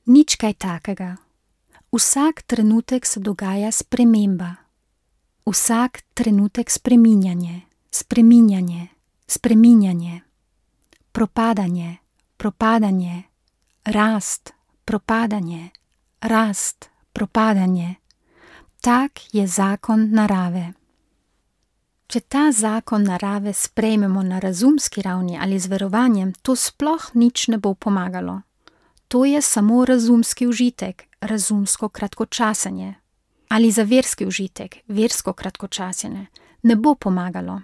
Nič kaj takega. Vsak trenutek se dogaja sprememba. Vsak trenutek spreminjanje, spreminjanje, spreminjanje. Propadanje, propadanje, rast, propadanje, rast, propadanje. Tak je zakon narave. Če ta zakon narave sprejmemo na razumski ravni ali z verovanjem, to sploh nič ne bo pomagalo. To je samo razumski užitek, razumsko kratkočasenje. Ali za verski užitek, versko kratkočasenje, ne bo pomagalo.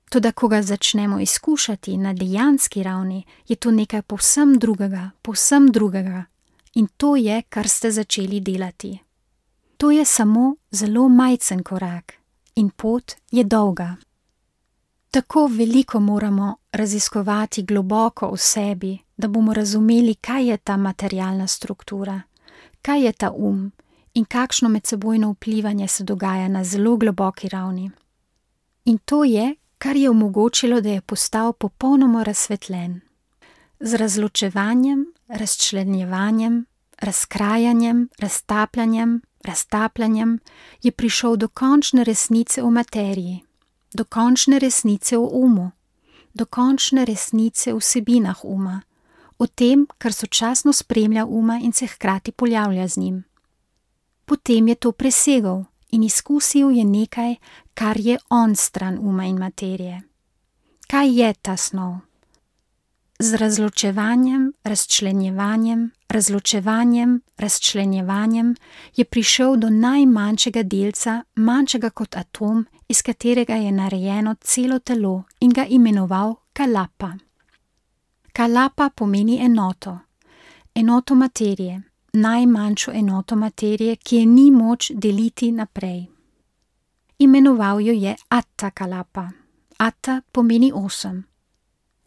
Toda, ko ga začnemo izkušati na dejanski ravni, je to nekaj povsem drugega, povsem drugega. In to je, kar ste začeli delati. To je samo zelo majcen korak in pot je dolga. Tako veliko moramo raziskovati globoko v sebi, da bomo razumeli, kaj je ta materialna struktura, kaj je ta um in kakšno medsebojno vplivanje se dogaja na zelo globoki ravni. In to je, kar je omogočilo, da je postal popolnoma razsvetljen. Z razločevanjem, razčlenjevanjem, razkrajanjem, raztapljanjem, raztapljanjem je prišel do končne resnice o materiji, do končne resnice o umu, do končne resnice o vsebinah uma, o tem, kar sočasno spremlja uma in se hkrati pojavlja z njim. Potem je to presegel in izkusil je nekaj, kar je onstran uma in materije. Kaj je ta snov? Z razločevanjem, razčlenjevanjem, razločevanjem, razčlenjevanjem je prišel do najmanjšega delca, manjšega kot atom, iz katerega je narejeno celo telo in ga imenoval kalapa. Kalapa pomeni enoto, enoto materije, najmanjšo enoto materije, ki je ni moč deliti naprej. Imenoval jo je Atta Kalapa. Atta pomeni osem.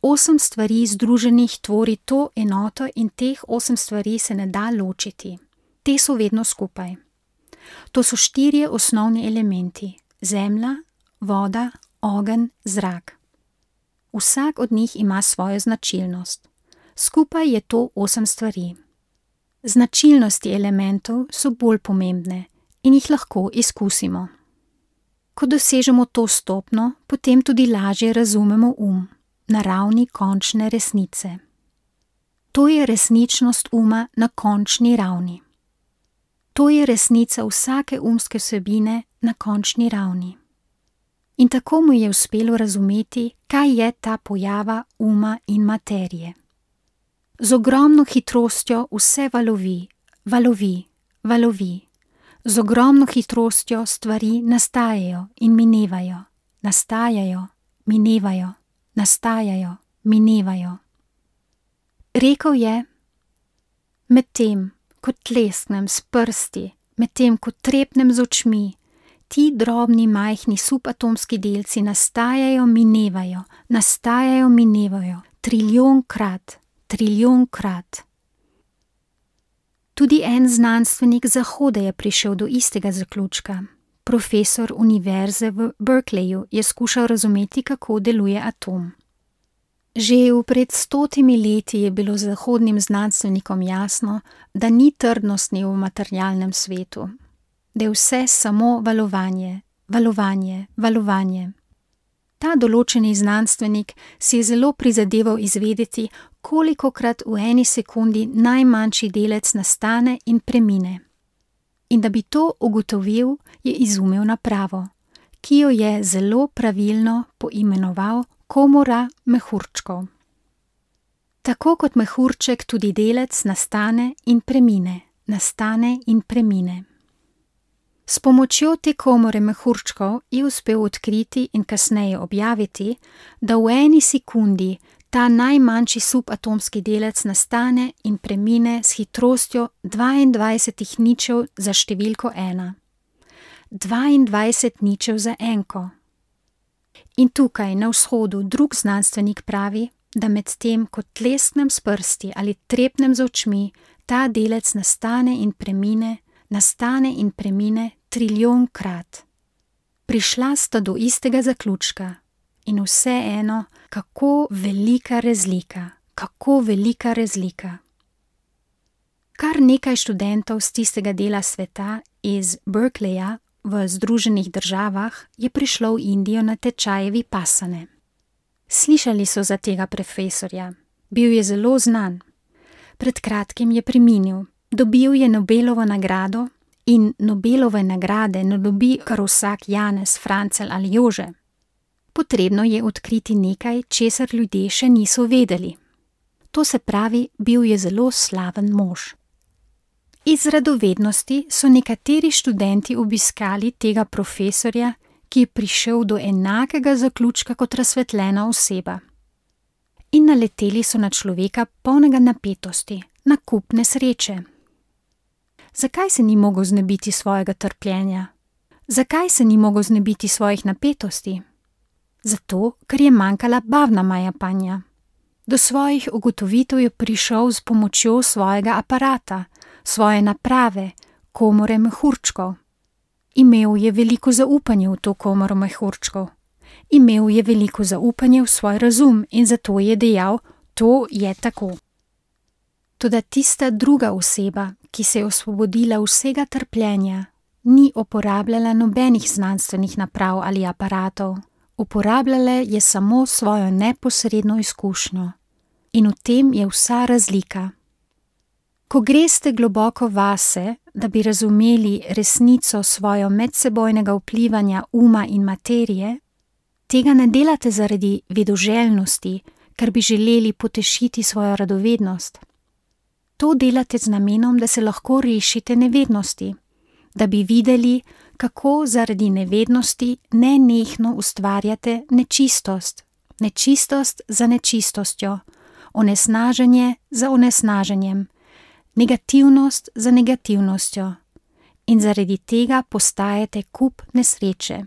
Osem stvari združenih tvori to enoto in teh osem stvari se ne da ločiti. Te so vedno skupaj. To so štirje osnovni elementi: zemlja, voda, ogenj, zrak. Vsak od njih ima svojo značilnost. Skupaj je to osem stvari. Značilnosti elementov so bolj pomembne in jih lahko izkusimo. Ko dosežemo to stopnjo, potem tudi lažje razumemo um, na ravni končne resnice. To je resničnost uma na končni ravni. To je resnica vsake umske vsebine na končni ravni. In tako mu je uspelo razumeti, kaj je ta pojava uma in materije. Z ogromno hitrostjo vse valovi, valovi, valovi. Z ogromno hitrostjo stvari nastajajo in minevajo, nastajajo, minevajo, nastajajo, minevajo. Rekel je: medtem, ko tlesknem s prsti, medtem, ko trepnem z očmi, ti drobni, majhni subatomski delci nastajajo, minevajo, nastajajo, minevajo, trilijonkrat, trilijonkrat. Tudi en znanstvenik z Zahoda je prišel do istega zaključka. Profesor univerze v Berkeleyju je skušal razumeti, kako deluje atom. Že v pred stotimi leti je bilo zahodnim znanstvenikom jasno, da ni trdnosti v materialnem svetu, da je vse samo valovanje, valovanje, valovanje. Ta določeni znanstvenik si je zelo prizadeval izvedeti, kolikokrat v eni sekundi najmanjši delec nastane in premine. In da bi to ugotovil, je izumil napravo, ki jo je zelo pravilno poimenoval komora mehurčkov. Tako kot mehurček tudi delec nastane in premine, nastane in premine. S pomočjo te komore mehurčkov je uspel odkriti in kasneje objaviti, da v eni sekundi ta najmanjši subatomski delec nastane in premine s hitrostjo dvaindvajset ničev za številko ena. dvaindvajset ničev za enko. In tukaj na vzhodu drug znanstvenik pravi, da med tem, ko tlesknem s prsti ali trepnem z očmi, ta delec nastane in premine, nastane in premine trilijonkrat. Prišla sta do istega zaključka in vseeno, kako velika razlika, kako velika razlika. Kar nekaj študentov z tistega dela sveta iz Berkeleyja v Združenih državah je prišlo v Indijo na tečaje vipassane. Slišali so za tega profesorja, bil je zelo znan. Pred kratkim je preminil, dobil je Nobelovo nagrado in Nobelove nagrade ne dobi kar vsak Janez, Francel ali Jože. Potrebno je odkriti nekaj, česar ljudje še niso vedeli. To se pravi, bil je zelo slaven mož. Iz radovednosti so nekateri študenti obiskali tega profesorja, ki je prišel do enakega zaključka kot razsvetljena oseba. In naleteli so na človeka polnega napetosti, na kup nesreče. Zakaj se ni mogel znebiti svojega trpljenja? Zakaj se ni mogel znebiti svojih napetosti? Zato, ker je manjkala bavna majapanja. Do svojih ugotovitev je prišel s pomočjo svojega aparata, svoje naprave, komore mehurčkov. Imel je veliko zaupanje v to komoro mehurčkov. Imel je veliko zaupanje v svoj razum in zato je dejal, to je tako. Toda tista druga oseba, ki se je osvobodila vsega trpljenja, ni uporabljala nobenih znanstvenih naprav ali aparatov. Uporabljala je samo svojo neposredno izkušnjo. In v tem je vsa razlika. Ko greste globoko vase, da bi razumeli resnico svojo medsebojnega vplivanja uma in materije, tega ne delate zaradi vedoželjnosti, ker bi želeli potešiti svojo radovednost. To delate z namenom, da se lahko rešite nevednosti, da bi videli, kako zaradi nevednosti nenehno ustvarjate nečistost, nečistost za nečistostjo, onesnaženje za onesnaženjem, negativnost za negativnostjo in zaradi tega postajate kup nesreče.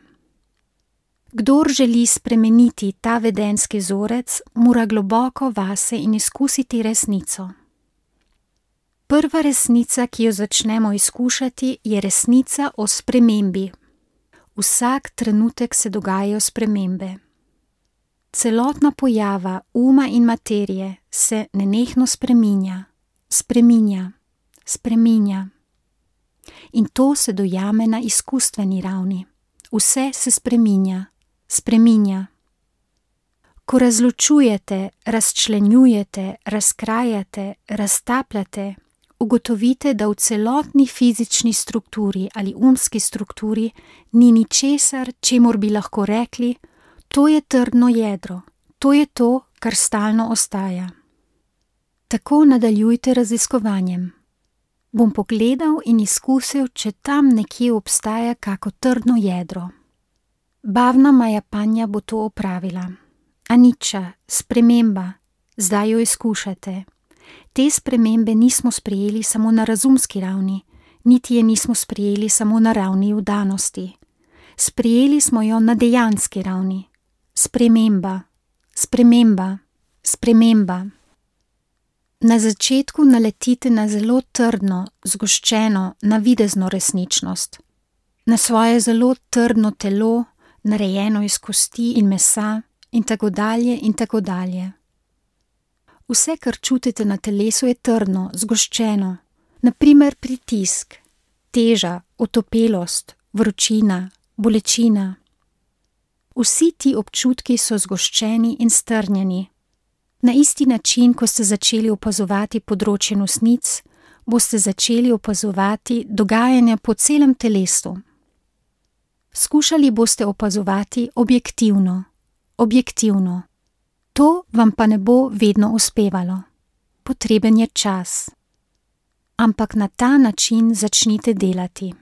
Kdor želi spremeniti ta vedenjski vzorec, mora globoko vase in izkusiti resnico. Prva resnica, ki jo začnemo izkušati, je resnica o spremembi. Vsak trenutek se dogajajo spremembe. Celotna pojava uma in materije se nenehno spreminja, spreminja, spreminja. In to se dojame na izkustveni ravni. Vse se spreminja, spreminja. Ko razločujete, razčlenjujete, razkrajate, raztapljate, ugotovite, da v celotni fizični strukturi ali umski strukturi ni ničesar, čemur bi lahko rekli, to je trdno jedro, to je to, kar stalno ostaja. Tako nadaljujte raziskovanjem. Bom pogledal in izkusil, če tam nekje obstaja kako trdno jedro. Bavna majapanja bo to opravila. Anicca, sprememba, zdaj jo izkušate. Te spremembe nismo sprejeli samo na razumski ravni, niti je nismo sprejeli samo na ravni vdanosti. Sprejeli smo jo na dejanski ravni. Sprememba, sprememba, sprememba. Na začetku naletite na zelo trdno, zgoščeno, navidezno resničnost. Na svoje zelo trdno telo, narejeno iz kosti in mesa in tako dalje in tako dalje. Vse, kar čutite na telesu, je trdno, zgoščeno. Naprimer pritisk, teža, otopelost, vročina, bolečina. Vsi ti občutki so zgoščeni in strnjeni. Na isti način, ko ste začeli opazovati področje nosnic, boste začeli opazovati dogajanja po celem telesu. Skušali boste opazovati objektivno, objektivno. To vam pa ne bo vedno uspevalo. Potreben je čas. Ampak na ta način začnite delati.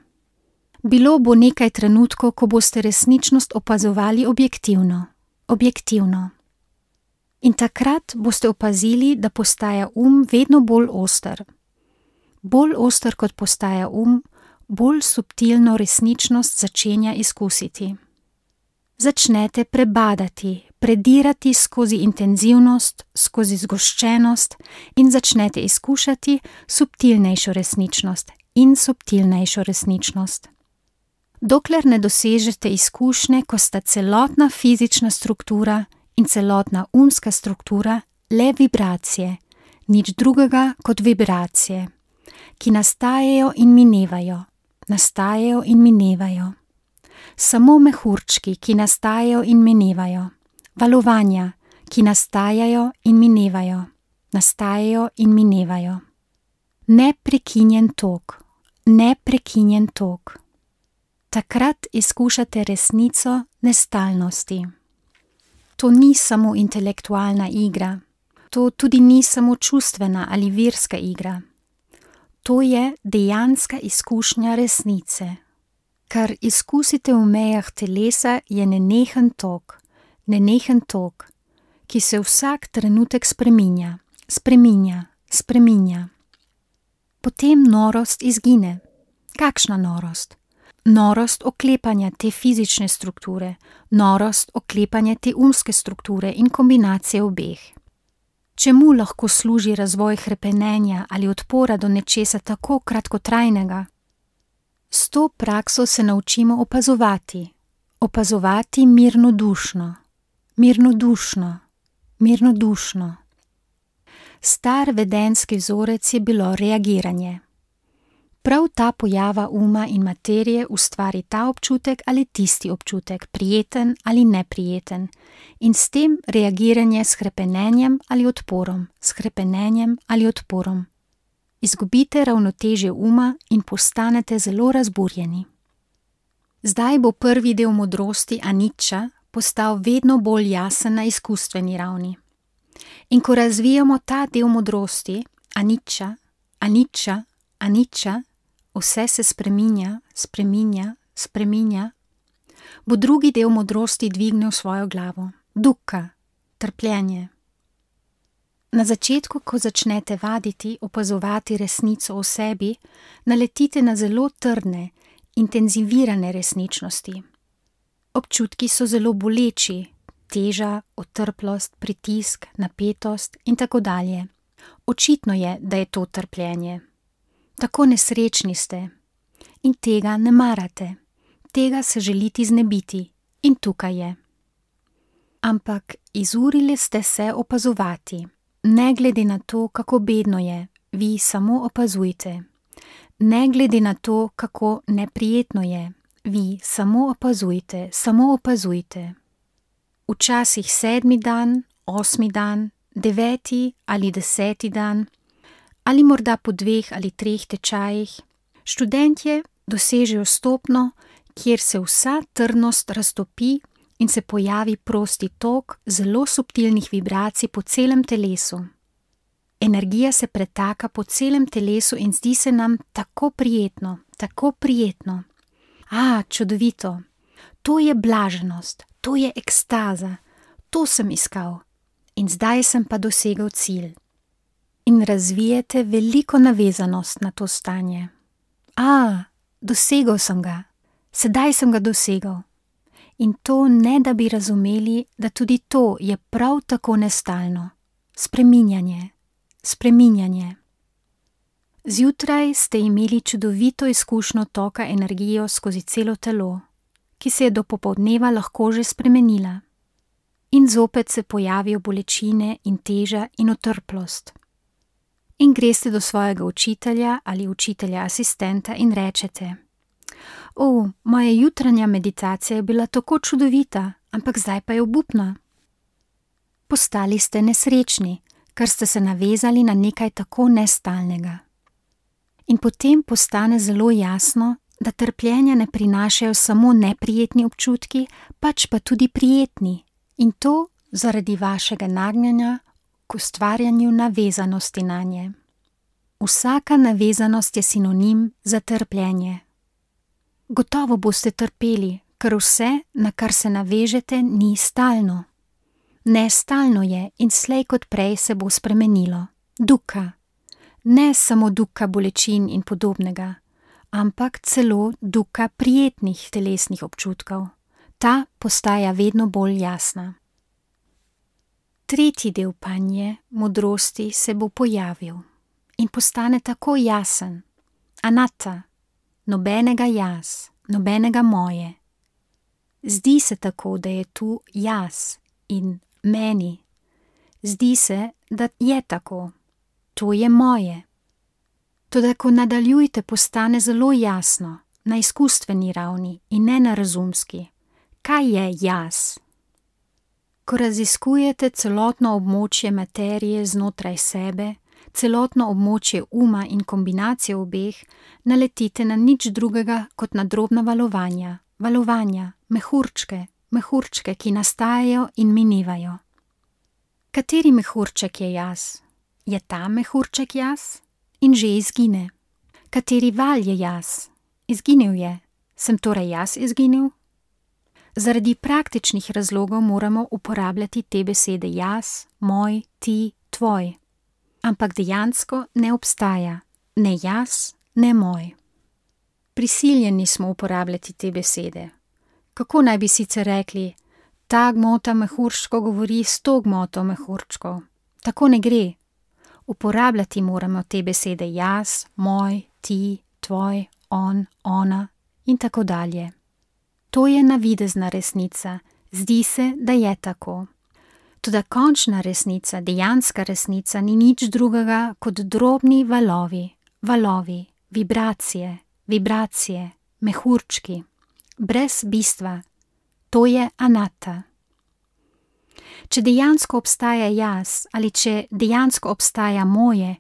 Bilo bo nekaj trenutkov, ko boste resničnost opazovali objektivno, objektivno. In takrat boste opazili, da postaja um vedno bolj oster. Bolj oster kot postaja um, bolj subtilno resničnost začenja izkusiti. Začnete prebadati, predirati skozi intenzivnost, skozi zgoščenost in začnete izkušati subtilnejšo resničnost, in subtilnejšo resničnost. Dokler ne dosežete izkušnje, ko sta celotna fizična struktura in celotna umska struktura le vibracije, nič drugega kot vibracije, ki nastajajo in minevajo, nastajajo in minevajo. Samo mehurčki, ki nastajajo in minevajo, valovanja, ki nastajajo in minevajo, nastajajo in minevajo. Neprekinjen tok, neprekinjen tok. Takrat izkušate resnico nestalnosti. To ni samo intelektualna igra, to tudi ni samo čustvena ali verska igra. To je dejanska izkušnja resnice. Kar izkusite v mejah telesa, je nenehen tok, nenehen tok, ki se vsak trenutek spreminja, spreminja, spreminja. Potem norost izgine. Kakšna norost? Norost oklepanja te fizične strukture, norost oklepanja te umske strukture in kombinacije obeh. Čemu lahko služi razvoj hrepenenja ali odpora do nečesa tako kratkotrajnega? S to prakso se naučimo opazovati, opazovati mirnodušno, mirnodušno, mirnodušno. Star vedenski vzorec je bilo reagiranje. Prav ta pojava uma in materije ustvari ta občutek ali tisti občutek, prijeten ali neprijeten, in s tem reagiranje s hrepenenjem ali odporom, s hrepenenjem ali odporom. Izgubite ravnotežje uma in postanete zelo razburjeni. Zdaj bo prvi del modrosti anicca postal vedno bolj jasen na izkustveni ravni. In ko razvijamo ta del modrosti, anicca, anicca, anicca, vse se spreminja, spreminja, spreminja, bo drugi del modrosti dvignil svojo glavo, dukkha, trpljenje. Na začetku, ko začnete vaditi, opazovati resnico o sebi, naletite na zelo trdne, intenzivirane resničnosti. Občutki so zelo boleči, teža, otrplost, pritisk, napetost in tako dalje. Očitno je, da je to trpljenje. Tako nesrečni ste in tega ne marate, tega se želite znebiti in tukaj je. Ampak izurili ste se opazovati, ne glede na to, kako bedno je, vi samo opazujte. Ne glede na to, kako neprijetno je, vi samo opazujte, samo opazujte. Včasih sedmi dan, osmi dan, deveti ali deseti dan, ali morda po dveh ali treh tečajih, študentje dosežejo stopnjo, kjer se vsa trdnost raztopi in se pojavi prosti tok zelo subtilnih vibracij po celem telesu. Energija se pretaka po celem telesu in zdi se nam tako prijetno, tako prijetno. A, čudovito, to je blaženost, to je ekstaza, to sem iskal in zdaj sem pa dosegel cilj. In razvijete veliko navezanost na to stanje. A, dosegel sem ga, sedaj sem ga dosegel. In to ne, da bi razumeli, da tudi to je prav tako nestalno. Spreminjanje, spreminjanje. Zjutraj ste imeli čudovito izkušnjo toka energijo skozi celo telo, ki se je do popoldneva lahko že spremenila. In zopet se pojavijo bolečine in teža in otrplost. In greste do svojega učitelja ali učitelja asistenta in rečete: O, moja jutranja meditacija je bila tako čudovita, ampak zdaj pa je obupna. Postali ste nesrečni, ker ste se navezali na nekaj tako nestalnega. In potem postane zelo jasno, da trpljenja ne prinašajo samo neprijetni občutki, pač pa tudi prijetni, in to zaradi vašega nagnjanja k ustvarjanju navezanosti nanje. Vsaka navezanost je sinonim za trpljenje. Gotovo boste trpeli, ker vse, na kar se navežete, ni stalno. Nestalno je in slej kot prej se bo spremenilo. Dukkha. Ne samo dukkha bolečin in podobnega, ampak celo dukkha prijetnih telesnih občutkov. Ta postaja vedno bolj jasna. Tretji del panje, modrosti, se bo pojavil in postane tako jasen. anatta, nobenega jaz, nobenega moje. Zdi se tako, da je tu jaz in meni. Zdi se, da je tako. To je moje. Toda ko nadaljujte, postane zelo jasno, na izkustveni ravni in ne na razumski. Kaj je jaz? Ko raziskujete celotno območje materije znotraj sebe, celotno območje uma in kombinacijo obeh, naletite na nič drugega kot na drobna valovanja, valovanja, mehurčke, mehurčke, ki nastajajo in minevajo. Kateri mehurček je jaz? Je ta mehurček jaz? In že izgine. Kateri val je jaz? Izginil je. Sem torej jaz izginil? Zaradi praktičnih razlogov moramo uporabljati te besede jaz, moj, ti, tvoj. Ampak dejansko ne obstaja. Ne jaz, ne moj. Prisiljeni smo uporabljati te besede. Kako naj bi sicer rekli, ta gmota mehurčkov govori s to gmoto mehurčkov? Tako ne gre. Uporabljati moramo te besede jaz, moj, ti, tvoj, on, ona in tako dalje. To je navidezna resnica, zdi se, da je tako. Toda končna resnica, dejanska resnica ni nič drugega kot drobni valovi, valovi, vibracije, vibracije, mehurčki, brez bistva. To je anatta. Če dejansko obstaja jaz ali če dejansko obstaja moje,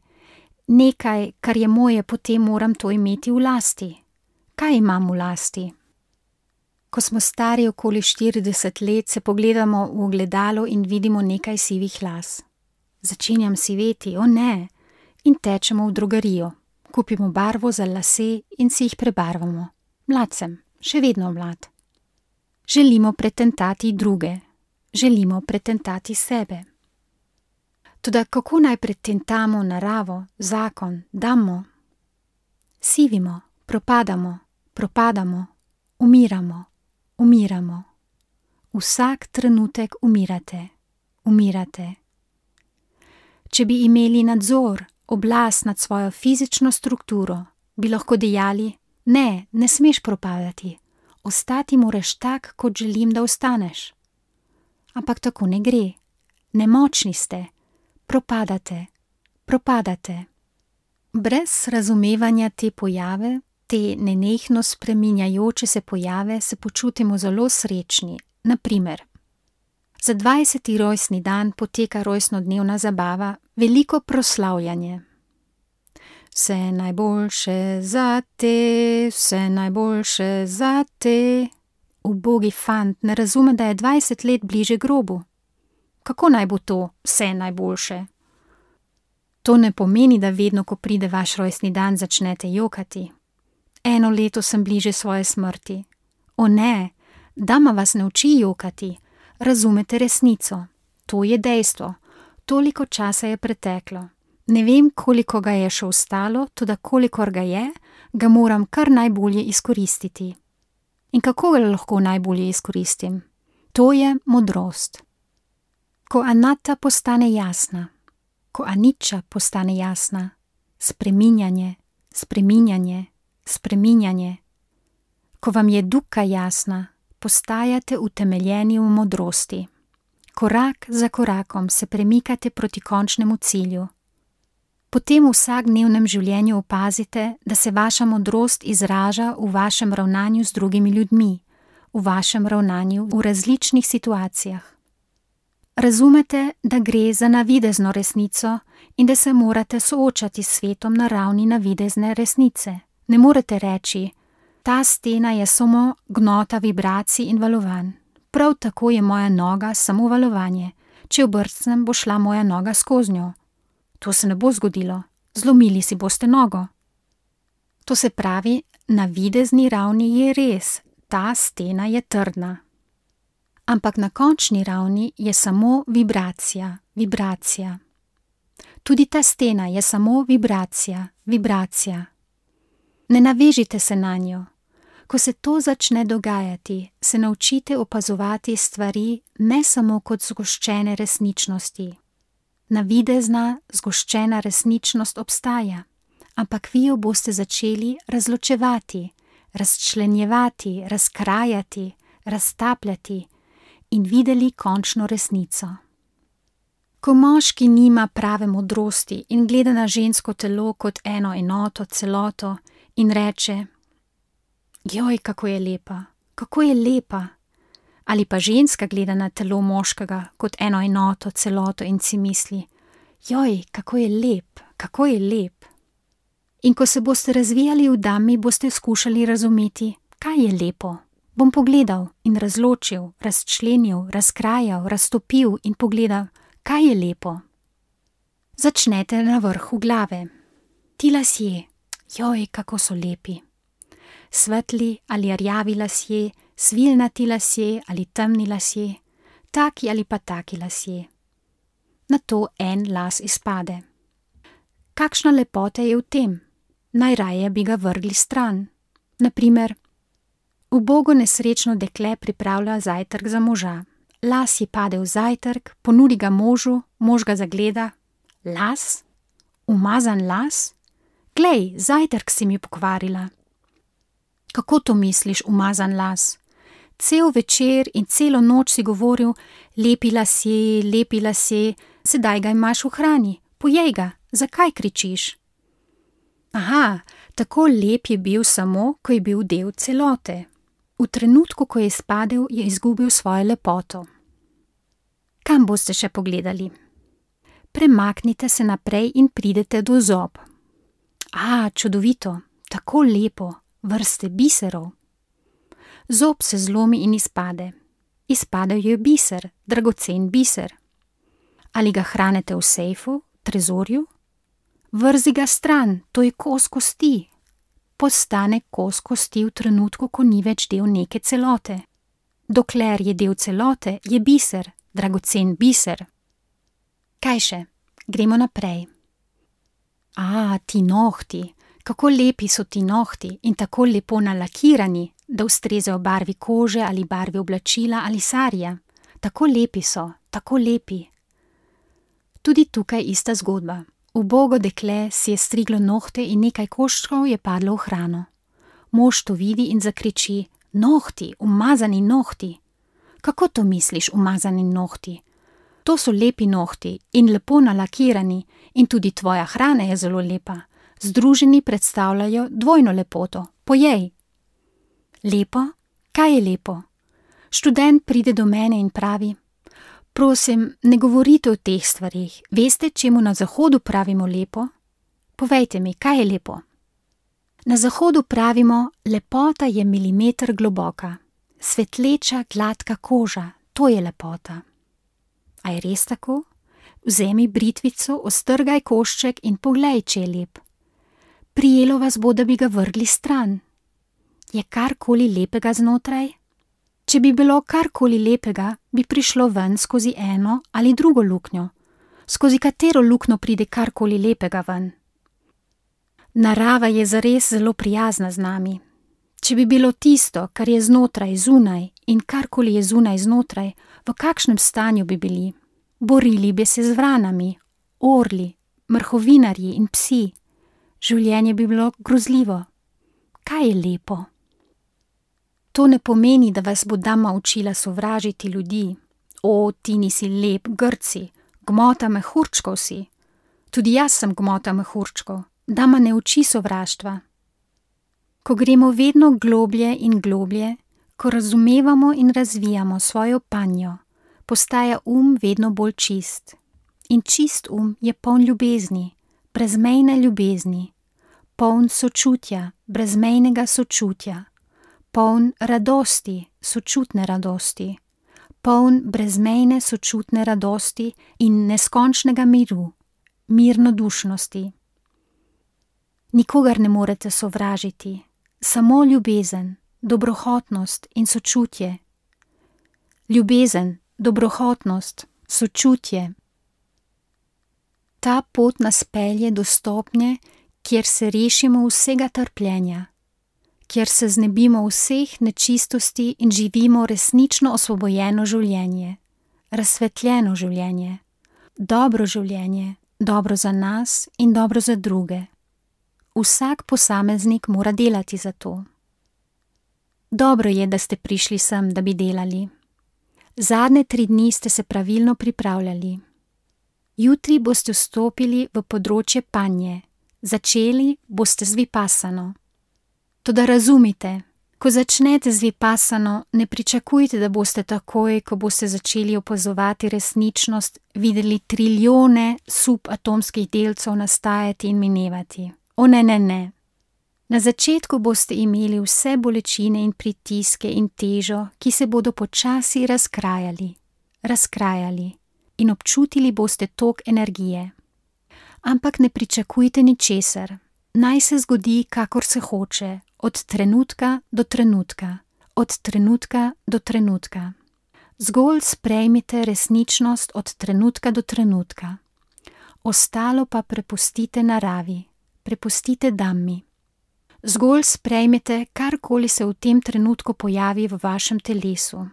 nekaj, kar je moje, potem moram to imeti v lasti. Kaj imam v lasti? Ko smo stari okoli štirideset let, se pogledamo v ogledalo in vidimo nekaj sivih las. Začenjam siveti, o ne, in tečemo v drogerijo. Kupimo barvo za lase in si jih prebarvamo. Mlad sem, še vedno mlad. Želimo pretentati druge. Želimo pretentati sebe. Toda kako naj pretentamo naravo, zakon, damo? Sivimo, propadamo, propadamo, umiramo, umiramo. Vsak trenutek umirate, umirate. Če bi imeli nadzor, oblast nad svojo fizično strukturo, bi lahko dejali, ne, ne smeš propadati, ostati moraš tak, kot želim, da ostaneš. Ampak tako ne gre. Nemočni ste. Propadate. Propadate. Brez razumevanja te pojave, te nenehno spreminjajoče se pojave, se počutimo zelo srečni. Na primer, za dvajseti rojstni dan poteka rojstnodnevna zabava, veliko proslavljanje. Vse najboljše za te, vse najboljše za te. Ubogi fant ne razume, da je dvajset let bliže grobu. Kako naj bo to vse najboljše? To ne pomeni, da vedno, ko pride vaš rojstni dan, začnete jokati. Eno leto sem bliže svoje smrti. O ne, dama vas ne uči jokati. Razumete resnico. To je dejstvo. Toliko časa je preteklo. Ne vem, koliko ga je še ostalo, toda kolikor ga je, ga moram kar najbolje izkoristiti. In kako ga lahko najbolje izkoristim? To je modrost. Ko anatta postane jasna, ko anicca postane jasna, spreminjanje, spreminjanje, spreminjanje. Ko vam je dukkha jasna, postajate utemeljeni v modrosti. Korak za korakom se premikate proti končnemu cilju. Potem v vsakdnevnem življenju opazite, da se vaša modrost izraža v vašem ravnanju z drugimi ljudmi, v vašem ravnanju v različnih situacijah. Razumete, da gre za navidezno resnico in da se morate soočati s svetom na ravni navidezne resnice. Ne morete reči, ta stena je samo gnota vibracij in valovanj. Prav tako je moja noga samo valovanje. Če obrcnem, bo šla moja noga skozi njo. To se ne bo zgodilo, zlomili si boste nogo. To se pravi, na videzni ravni je res, ta stena je trdna. Ampak na končni ravni je samo vibracija, vibracija. Tudi ta stena je samo vibracija, vibracija. Ne navežite se na njo. Ko se to začne dogajati, se naučite opazovati stvari ne samo kot zgoščene resničnosti. Navidezna, zgoščena resničnost obstaja, ampak vi jo boste začeli razločevati, razčlenjevati, razkrajati, raztapljati in videli končno resnico. Ko moški nima prave modrosti in gleda na žensko telo kot eno enoto, celoto in reče: joj, kako je lepa, kako je lepa, ali pa ženska gleda na telo moškega kot eno enoto, celoto in si misli: joj, kako je lep, kako je lep. In ko se boste razvijali v dami, boste skušali razumeti, kaj je lepo. Bom pogledal in razločil, razčlenil, razkrajal, raztopil in pogledal, kaj je lepo. Začnete na vrhu glave. Ti lasje, joj, kako so lepi. Svetli ali rjavi lasje, svilnati lasje ali temni lasje, taki ali pa taki lasje. Nato en las izpade. Kakšna lepota je v tem? Najraje bi ga vrgli stran. Naprimer, ubogo nesrečno dekle pripravlja zajtrk za moža. Las ji pade v zajtrk, ponudi ga možu, mož ga zagleda. Las? Umazan las? Glej, zajtrk si mi pokvarila. Kako to misliš, umazan las? Cel večer in celo noč si govoril: lepi lasje, lepi lasje, sedaj ga imaš v hrani, pojej ga, zakaj kričiš? Aha, tako lep je bil samo, ko je bil del celote. V trenutku, ko je izpadel, je izgubil svojo lepoto. Kam boste še pogledali? Premaknite se naprej in pridete do zob. A, čudovito, tako lepo, vrste biserov. Zob se zlomi in izpade. Izpadel je biser, dragocen biser. Ali ga hranite v sejfu, trezorju? Vrzi ga stran, to je kos kosti. Postane kos kosti v trenutku, ko ni več del neke celote. Dokler je del celote, je biser, dragocen biser. Kaj še? Gremo naprej. A, ti nohti, kako lepi so ti nohti in tako lepo nalakirani, da ustrezajo barvi kože ali barvi oblačila ali sarja. Tako lepi so, tako lepi. Tudi tukaj ista zgodba. Ubogo dekle si je striglo nohte in nekaj koščkov je padlo v hrano. Mož to vidi in zakriči: nohti, umazani nohti. Kako to misliš, umazani nohti? To so lepi nohti in lepo nalakirani in tudi tvoja hrana je zelo lepa. Združeni predstavljajo dvojno lepoto, pojej. Lepo? Kaj je lepo? Študent pride do mene in pravi: prosim, ne govorite o teh stvarih, veste, čemu na zahodu pravimo lepo? Povejte mi, kaj je lepo? Na zahodu pravimo: lepota je milimeter globoka, svetleča, gladka koža, to je lepota. A je res tako? Vzemi britvico, ostrgaj košček in poglej, če je lep. Prijelo vas bo, da bi ga vrgli stran. Je karkoli lepega znotraj? Če bi bilo karkoli lepega, bi prišlo ven skozi eno ali drugo luknjo. Skozi katero luknjo pride karkoli lepega ven? Narava je zares zelo prijazna z nami. Če bi bilo tisto, kar je znotraj, zunaj in karkoli je zunaj znotraj, v kakšnem stanju bi bili? Borili bi se z vranami, orli, mrhovinarji in psi. Življenje bi bilo grozljivo. Kaj je lepo? To ne pomeni, da vas bo dama učila sovražiti ljudi. O, ti nisi lep, grci, gmota mehurčkov si. Tudi jaz sem gmota mehurčkov. Dama ne uči sovraštva. Ko gremo vedno globlje in globlje, ko razumevamo in razvijamo svojo panjo, postaja um vedno bolj čist. In čist um je poln ljubezni, brezmejne ljubezni, poln sočutja, brezmejnega sočutja, poln radosti, sočutne radosti, poln brezmejne sočutne radosti in neskončnega miru, mirnodušnosti. Nikogar ne morete sovražiti, samo ljubezen, dobrohotnost in sočutje. Ljubezen, dobrohotnost, sočutje. Ta pot nas pelje do stopnje, kjer se rešimo vsega trpljenja, kjer se znebimo vseh nečistosti in živimo resnično osvobojeno življenje, razsvetljeno življenje, dobro življenje, dobro za nas in dobro za druge. vsak posameznik mora delati za to. Dobro je, da ste prišli sem, da bi delali. Zadnje tri dni ste se pravilno pripravljali. Jutri boste vstopili v področje panje, začeli boste z vipasano. Toda razumite, ko začnete z vipasano, ne pričakujte, da boste takoj, ko boste začeli opazovati resničnost, videli trilijone subatomskih delcev nastajati in minevati. O ne, ne, ne. Na začetku boste imeli vse bolečine in pritiske in težo, ki se bodo počasi razkrajali, razkrajali in občutili boste tok energije. Ampak ne pričakujte ničesar, naj se zgodi, kakor se hoče, od trenutka do trenutka, od trenutka do trenutka. Zgolj sprejmite resničnost od trenutka do trenutka. Ostalo pa prepustite naravi, prepustite Dhammi. Zgolj sprejmite, karkoli se v tem trenutku pojavi v vašem telesu.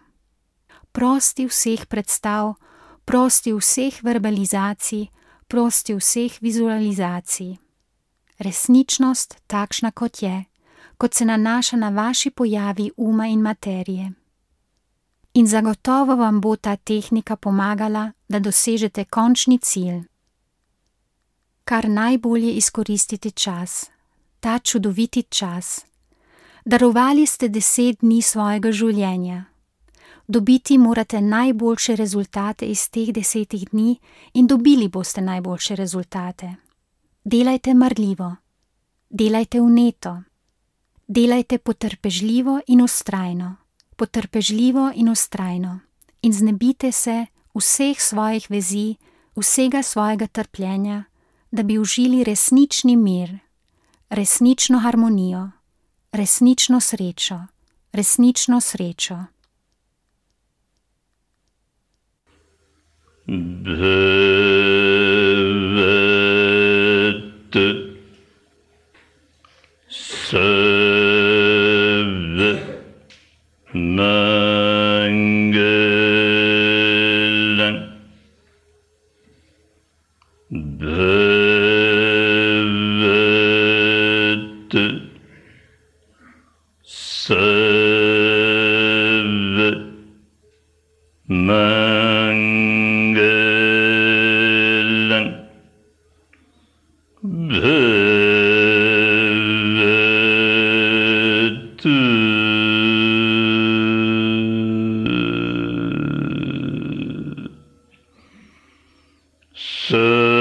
Prosti vseh predstav, prosti vseh verbalizacij, prosti vseh vizualizacij. Resničnost takšna, kot je, kot se nanaša na vaši pojavi uma in materije. In zagotovo vam bo ta tehnika pomagala, da dosežete končni cilj. Kar najbolje izkoristite čas, ta čudoviti čas. Darovali ste deset dni svojega življenja. Dobiti morate najboljše rezultate iz teh desetih dni in dobili boste najboljše rezultate. Delajte marljivo, delajte vneto, delajte potrpežljivo in vztrajno, potrpežljivo in vztrajno in znebite se vseh svojih vezi, vsega svojega trpljenja, da bi užili resnični mir, resnično harmonijo, resnično srečo, resnično srečo. Bhavat Sarva Mangalam Bhavat Sarva Mangalam Bhavatu Sarva